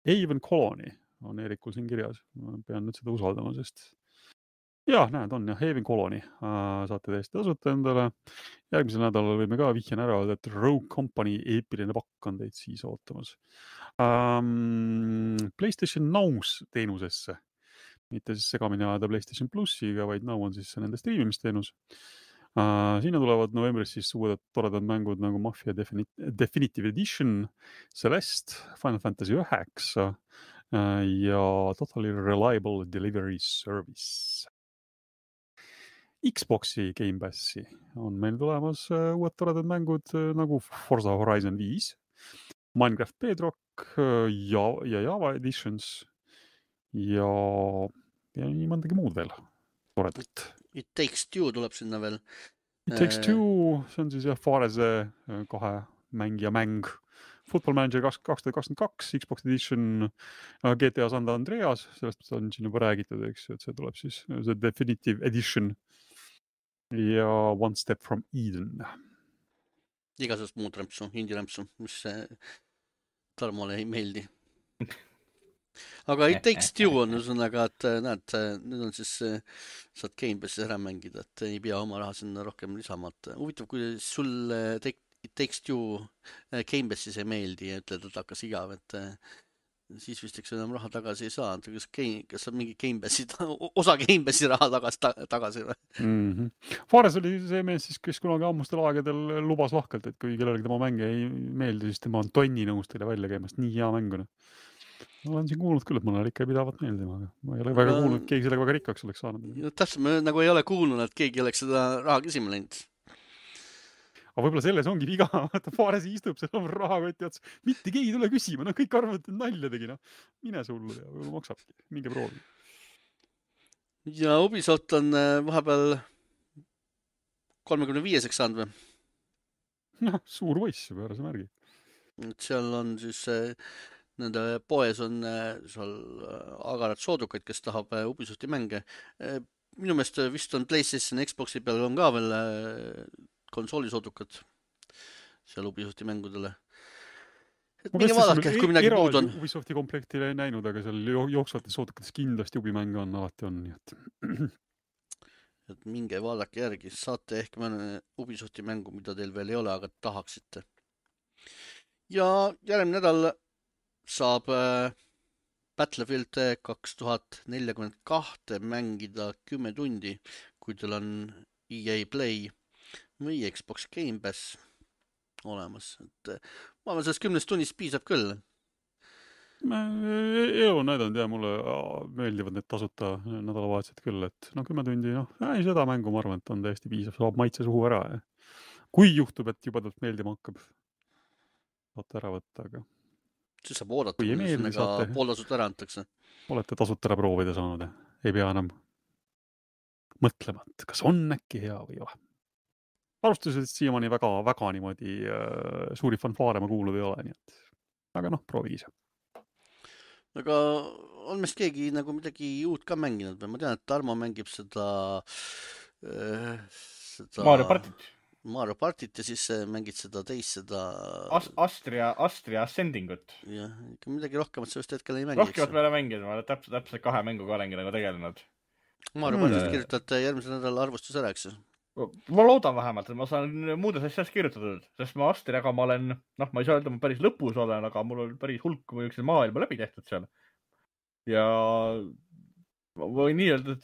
Speaker 3: Haven Colony on Eerikul siin kirjas. Ma pean nüüd seda usaldama, sest näed, on Haven Colony. Saate täiesti tasuta endale. Järgmisel nädalal võime ka vihjana ära öelda, et Rogue Company eepiline pakk on teid siis ootamas. PlayStation Now's teenusesse. Mitte siis segamini ajada PlayStation Plussiga, vaid Now on siis nende streamimisteenus. Sinna tulevad novembris siis uued toredad mängud nagu Mafia Definitive Edition, Celeste, Final Fantasy 9 ja Totally Reliable Delivery Service. Xboxi Game Passi on meil tulemas uued toredad mängud nagu Forza Horizon 5, Minecraft Bedrock ja Java Editions ja nii mõndagi muud veel toredalt.
Speaker 1: It Takes Two tuleb sinna veel.
Speaker 3: It Takes Two, see on siis Farese 2 mängija mäng. Football Manager 2022, Xbox Edition, GTA San Andreas, sellest on siin juba räägitud, eks, et see tuleb siis see Definitive Edition ja One Step from Eden.
Speaker 1: Igasugust muud rämpsu, indie-rämpsu, mis Tarmole ei meeldi. Aga It Takes Two on üsõnaga, et näed, nüüd on siis saad Game Passi ära mängida, et ei pea oma raha sinna rohkem lisama. Huvitav, kui sul It Takes Two Game Passis ei meeldi ja ütled, et hakkas igav, et siis vist eks enam raha tagasi ei saa. Kas saab mingi Game Passi, osa Game Passi raha tagasi või?
Speaker 3: Fares oli see mees siis, kes kunagi ammustel aegadel lubas lahkelt, et kui kellelegi tema mänge ei meeldi, siis tema on tonni nõus teile välja käimast. Nii hea mänguna. Ma olen siin kuulnud küll, et mõnel ikka pidavat meeldima, aga ma ei ole väga kuulnud, et keegi sellega väga rikkaks oleks saanud.
Speaker 1: Täpselt, me nagu ei ole kuulnud, et keegi oleks seda raha küsima läinud.
Speaker 3: Aga võib-olla selles ongi viga, vaata Faresi istub seal on rahakoti ots. Mitte keegi tule küsima, kõik arvavad, et nalja tegi. Mine sullu ja võib-olla maksabki. Minge proovi.
Speaker 1: Ja Ubisoft on vahepeal 35-seks saanud või?
Speaker 3: Suur võiss juba, ära see märgi.
Speaker 1: Seal on siis... Nende poes on seal agarad soodukaid, kes tahab Ubisofti mänge. Minu meelest vist on PlayStation Xboxi peal on ka veel konsooli soodukad seal Ubisofti mängudele. Et minge vaadake, kui midagi puud on.
Speaker 3: Ubisofti komplekti ei näinud, aga seal jooksvates soodukates kindlasti Ubimänge on, alati on. Nii
Speaker 1: et minge vaadake järgi, saate ehk mõne Ubisofti mängu, mida teil veel ei ole, aga tahaksite. Ja järgmine nädal saab Battlefield 2042 mängida 10 tundi, kui teil on EA Play või Xbox Game Pass olemas. Et ma arvan, sellest 10 tunnist piisab küll.
Speaker 3: Elu näidanud ja mulle meeldivad need tasuta nädalavahetused küll, et 10 tundi, ei seda mängu ma arvan, et on täiesti piisav, saab maitse suhu ära. Ja. Kui juhtub, et juba talt meeldima hakkab, saate ära võtta, aga
Speaker 1: siis saab oodata, kui sinnaga pooltasut ära antakse.
Speaker 3: Olete tasut ära proovida saanud, ei pea enam mõtlema, et kas on äkki hea või ei ole. Alustused siiamaani väga niimoodi suuri fanfaare ma kuulnud ei ole, nii et aga proovi ise.
Speaker 1: Aga on meist keegi nagu midagi uut ka mänginud või? Ma tean, et Tarmo mängib seda Mario Partit ja siis mängid seda teist, seda...
Speaker 2: Astria Ascendingut.
Speaker 1: Jah, ikka midagi rohkemat sellest hetkel ei mängi.
Speaker 2: Rohkemat meile mängida, ma olen täpselt 2 mänguga olengi nagu tegelenud.
Speaker 1: Maarja Palmist kirjutate järgmisel nädalal arvustus ära, eks?
Speaker 2: Ma loodan vähemalt, et ma saan muudes asjades kirjutatud, sest ma Astriaga ma olen, ma ei saa öelda, ma päris lõpus olen, aga mul on päris hulk mõjukseid maailma läbi tehtud seal. Ja ma võin nii öelda,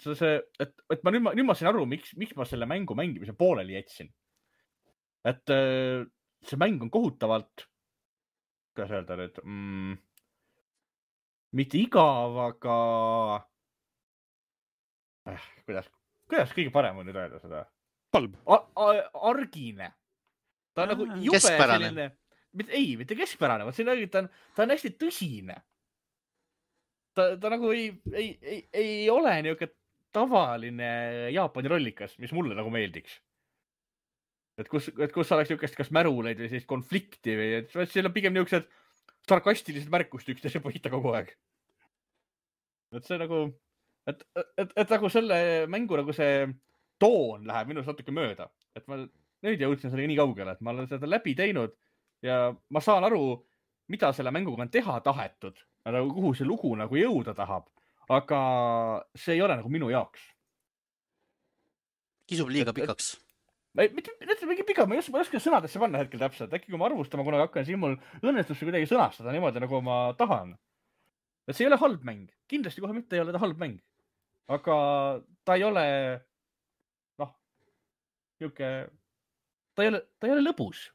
Speaker 2: et ma nüüd ma sain aru, miks ma selle mängu mängimise pooleli jätsin. Et see mäng on kohutavalt, kuidas öelda nüüd, mitte igav, aga kuidas kõige parem on nüüd öelda seda?
Speaker 3: Halb.
Speaker 2: Argine. Ta on nagu jube selline, mitte keskpärane, ta on hästi tõsine. Ta nagu ei ole niisugune tavaline Jaapani rollikas, mis mulle nagu meeldiks. Et kus oleks niisugust kas märuleid või sellist konflikti või et seal on pigem niisugused sarkastilised märkust üksteise põhita kogu aeg. Et see nagu, et nagu selle mängu nagu see toon läheb minust natuke mööda. Et ma nüüd jõudsin sellega nii kaugele, et ma olen seda läbi teinud ja ma saan aru, mida selle mänguga on teha tahetud. Nagu kuhu see lugu nagu jõuda tahab. Aga see ei ole nagu minu jaoks.
Speaker 1: Kisub liiga pikaks.
Speaker 2: Mitte mingi pika, ma ei oska sõnadesse panna hetkel täpselt. Äkki kui ma arvustama kunagi hakkan, siis mul õnnestus kuidagi sõnastada niimoodi, nagu ma tahan. Et see ei ole halb mäng. Kindlasti kohe mitte ei ole ta halb mäng. Aga ta ei ole, ta ei ole lõbus.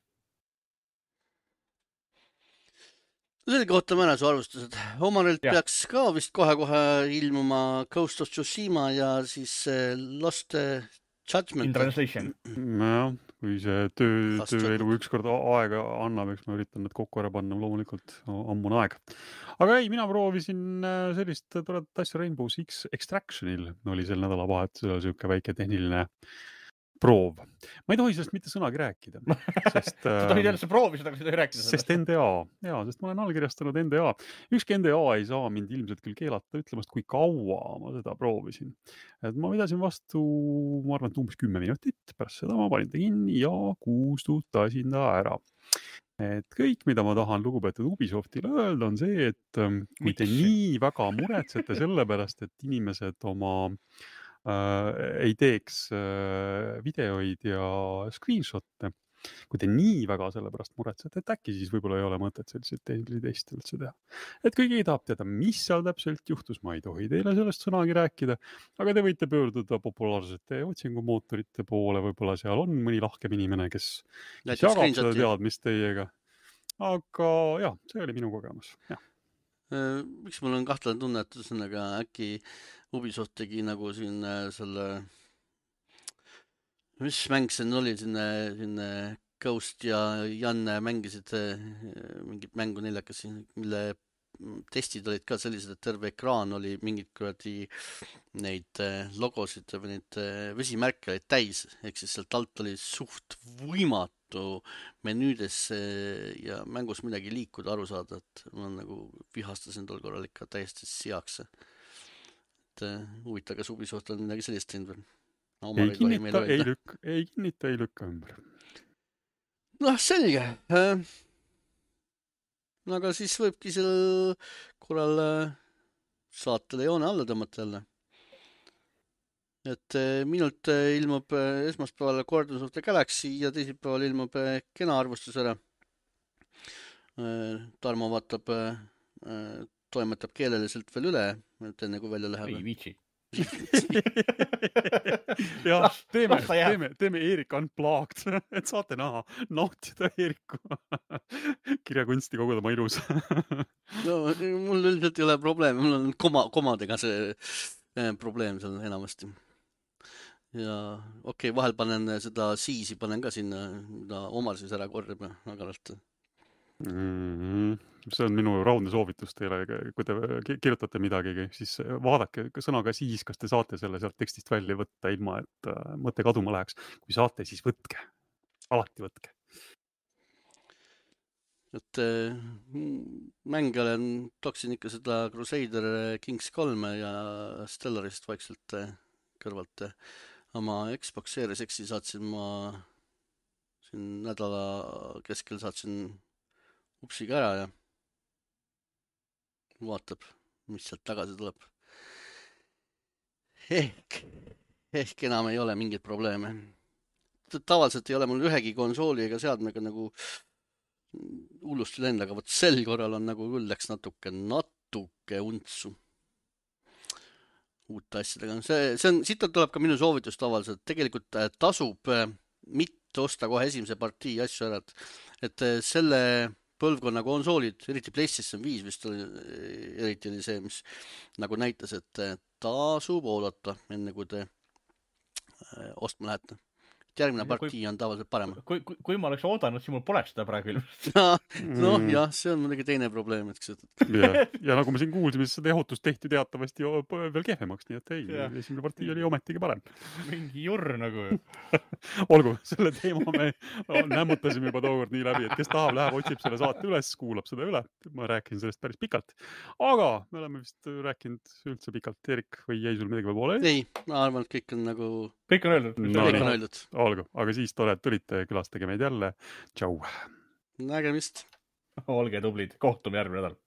Speaker 1: Selle kohta mõne su arvustused. Omarilt peaks ka vist kohe ilmuma Ghost of Tsushima ja siis Lost Judgment.
Speaker 2: In Translation.
Speaker 3: Ja, kui see tööelu ükskord aega annab, eks ma üritan need kokku ära panna, loomulikult ammune aeg. Aga ei, mina proovisin sellist toredat asja Rainbow Six Extractionil. Oli sel nädalavahetusel selline väike tehniline proov. Ma ei tohi sellest mitte sõnagi rääkida. Sest,
Speaker 2: sa tohid jälle proovisid, aga sa tohi rääkida sellest.
Speaker 3: Sest NDA. Jaa, sest ma olen allkirjastanud NDA. Ükski NDA ei saa mind ilmselt küll keelata ütlemast, kui kaua ma seda proovisin. Et ma vedasin vastu, ma arvan, umbes 10 minutit. Pärast seda ma panin ta kinni ja kustutasin ta ära. Et kõik, mida ma tahan lugupeetud Ubisoftile öelda, on see, et kui te nii väga muretsete selle pärast, et inimesed oma ei teeks videoid ja screenshot'e. Kui te nii väga selle pärast muretsete, et äkki siis võib-olla ei ole mõtet selliseid tehnilisi teste üldse teha. Et kui keegi tahab teada, mis seal täpselt juhtus, ma ei tohi teile sellest sõnagi rääkida, aga te võite pöörduda populaarsete otsingumootorite poole, võib-olla seal on mõni lahkem inimene, kes jagab seda teadmist teiega. Aga jah, see oli minu kogemus, jah.
Speaker 1: Miks mul on kahtlane tunne, et ühesõnaga äkki Ubisoft tegi nagu siin selle, mis mäng see oli, siin Ghost ja Janne mängisid mingit mängu neljakas, mille testid olid ka sellised, et terve ekraan oli mingid kuradi neid logosid või neid vesimärke olid täis, ehk siis sealt alt oli suht võimatu menüüdes ja mängus midagi liikuda, aru saada, et ma nagu vihastasin tol korral ikka täiesti seaks. Et huvita, kas Ubisoft on midagi sellist teinud või?
Speaker 3: Ei kinnita, ei lükka ümber.
Speaker 1: Noh, selge. Aga siis võibki sel korral saatele joone alla tõmmata jälle. Et minult ilmub esmaspäeval Guardians of the Galaxy ja teisipäeval ilmub kena arvustus ära. Tarmo vaatab, toimetab keeleliselt veel üle, et enne kui välja läheb.
Speaker 2: Ei viitsi.
Speaker 3: jah, teeme Eerik Unplugged, et saate näha, nautida Eeriku kirjakunsti kogu tema ilus.
Speaker 1: No, mul üldiselt ei ole probleemi, mul on komadega see probleem seal enamasti. Ja okei, vahel panen seda siisi, panen ka sinna, mida Omar siis ära korjab agaralt.
Speaker 3: See on minu raudne soovitus teile, kui te kirjutate midagi, siis vaadake sõnaga siis, kas te saate selle sealt tekstist välja võtta ilma, et mõte kaduma läheks. Kui saate, siis võtke. Alati võtke.
Speaker 1: Et mänge toksin ikka seda Crusader Kings 3 ja Stellarist vaikselt kõrvalt. Oma Xbox Series X-i saatsin ma siin nädala keskel saatsin upsiga ära ja vaatab, mis sealt tagasi tuleb. ehk enam ei ole mingeid probleeme. Tavaliselt ei ole mul ühegi konsooli ega seadmega nagu hullusti lend, aga vot sel korral on nagu küll läks natuke untsu uute asjadega. Siit tuleb ka minu soovitus tavaliselt. Tegelikult tasub mitte osta kohe esimese partii asju ära, et selle põlvkonna konsoolid, eriti PlayStation 5 vist oli, eriti oli see, mis nagu näitas, et tasub oodata, enne kui te ostma lähete. Järgmine partii on tavaliselt parem.
Speaker 2: Kui ma oleks oodanud, siis mul poleks seda praegu ilmselt.
Speaker 1: Noh, jah, see on muidugi teine probleem.
Speaker 3: Ja nagu me siin kuulsime, siis seda ehutust tehti teatavasti veel kehvemaks, nii et ei, esimene partii oli ometigi parem.
Speaker 2: Mingi jurr nagu.
Speaker 3: Olgu, selle teema me nämmutasime juba tookord nii läbi, et kes tahab, läheb, otsib selle saate üles, kuulab seda üle. Ma rääkisin sellest päris pikalt. Aga me oleme vist rääkinud üldse pikalt. Erik, või jäi sul midagi veel poole?
Speaker 1: Ei, ma arvan, et kõik on nagu...
Speaker 2: Kõik on öeldud.
Speaker 1: Kõik on öeldud.
Speaker 3: Olgu, aga siis tore, et tulite külastage meid jälle. Tšau!
Speaker 1: Nägemist!
Speaker 2: Olge tublid, kohtume järgmine nädal.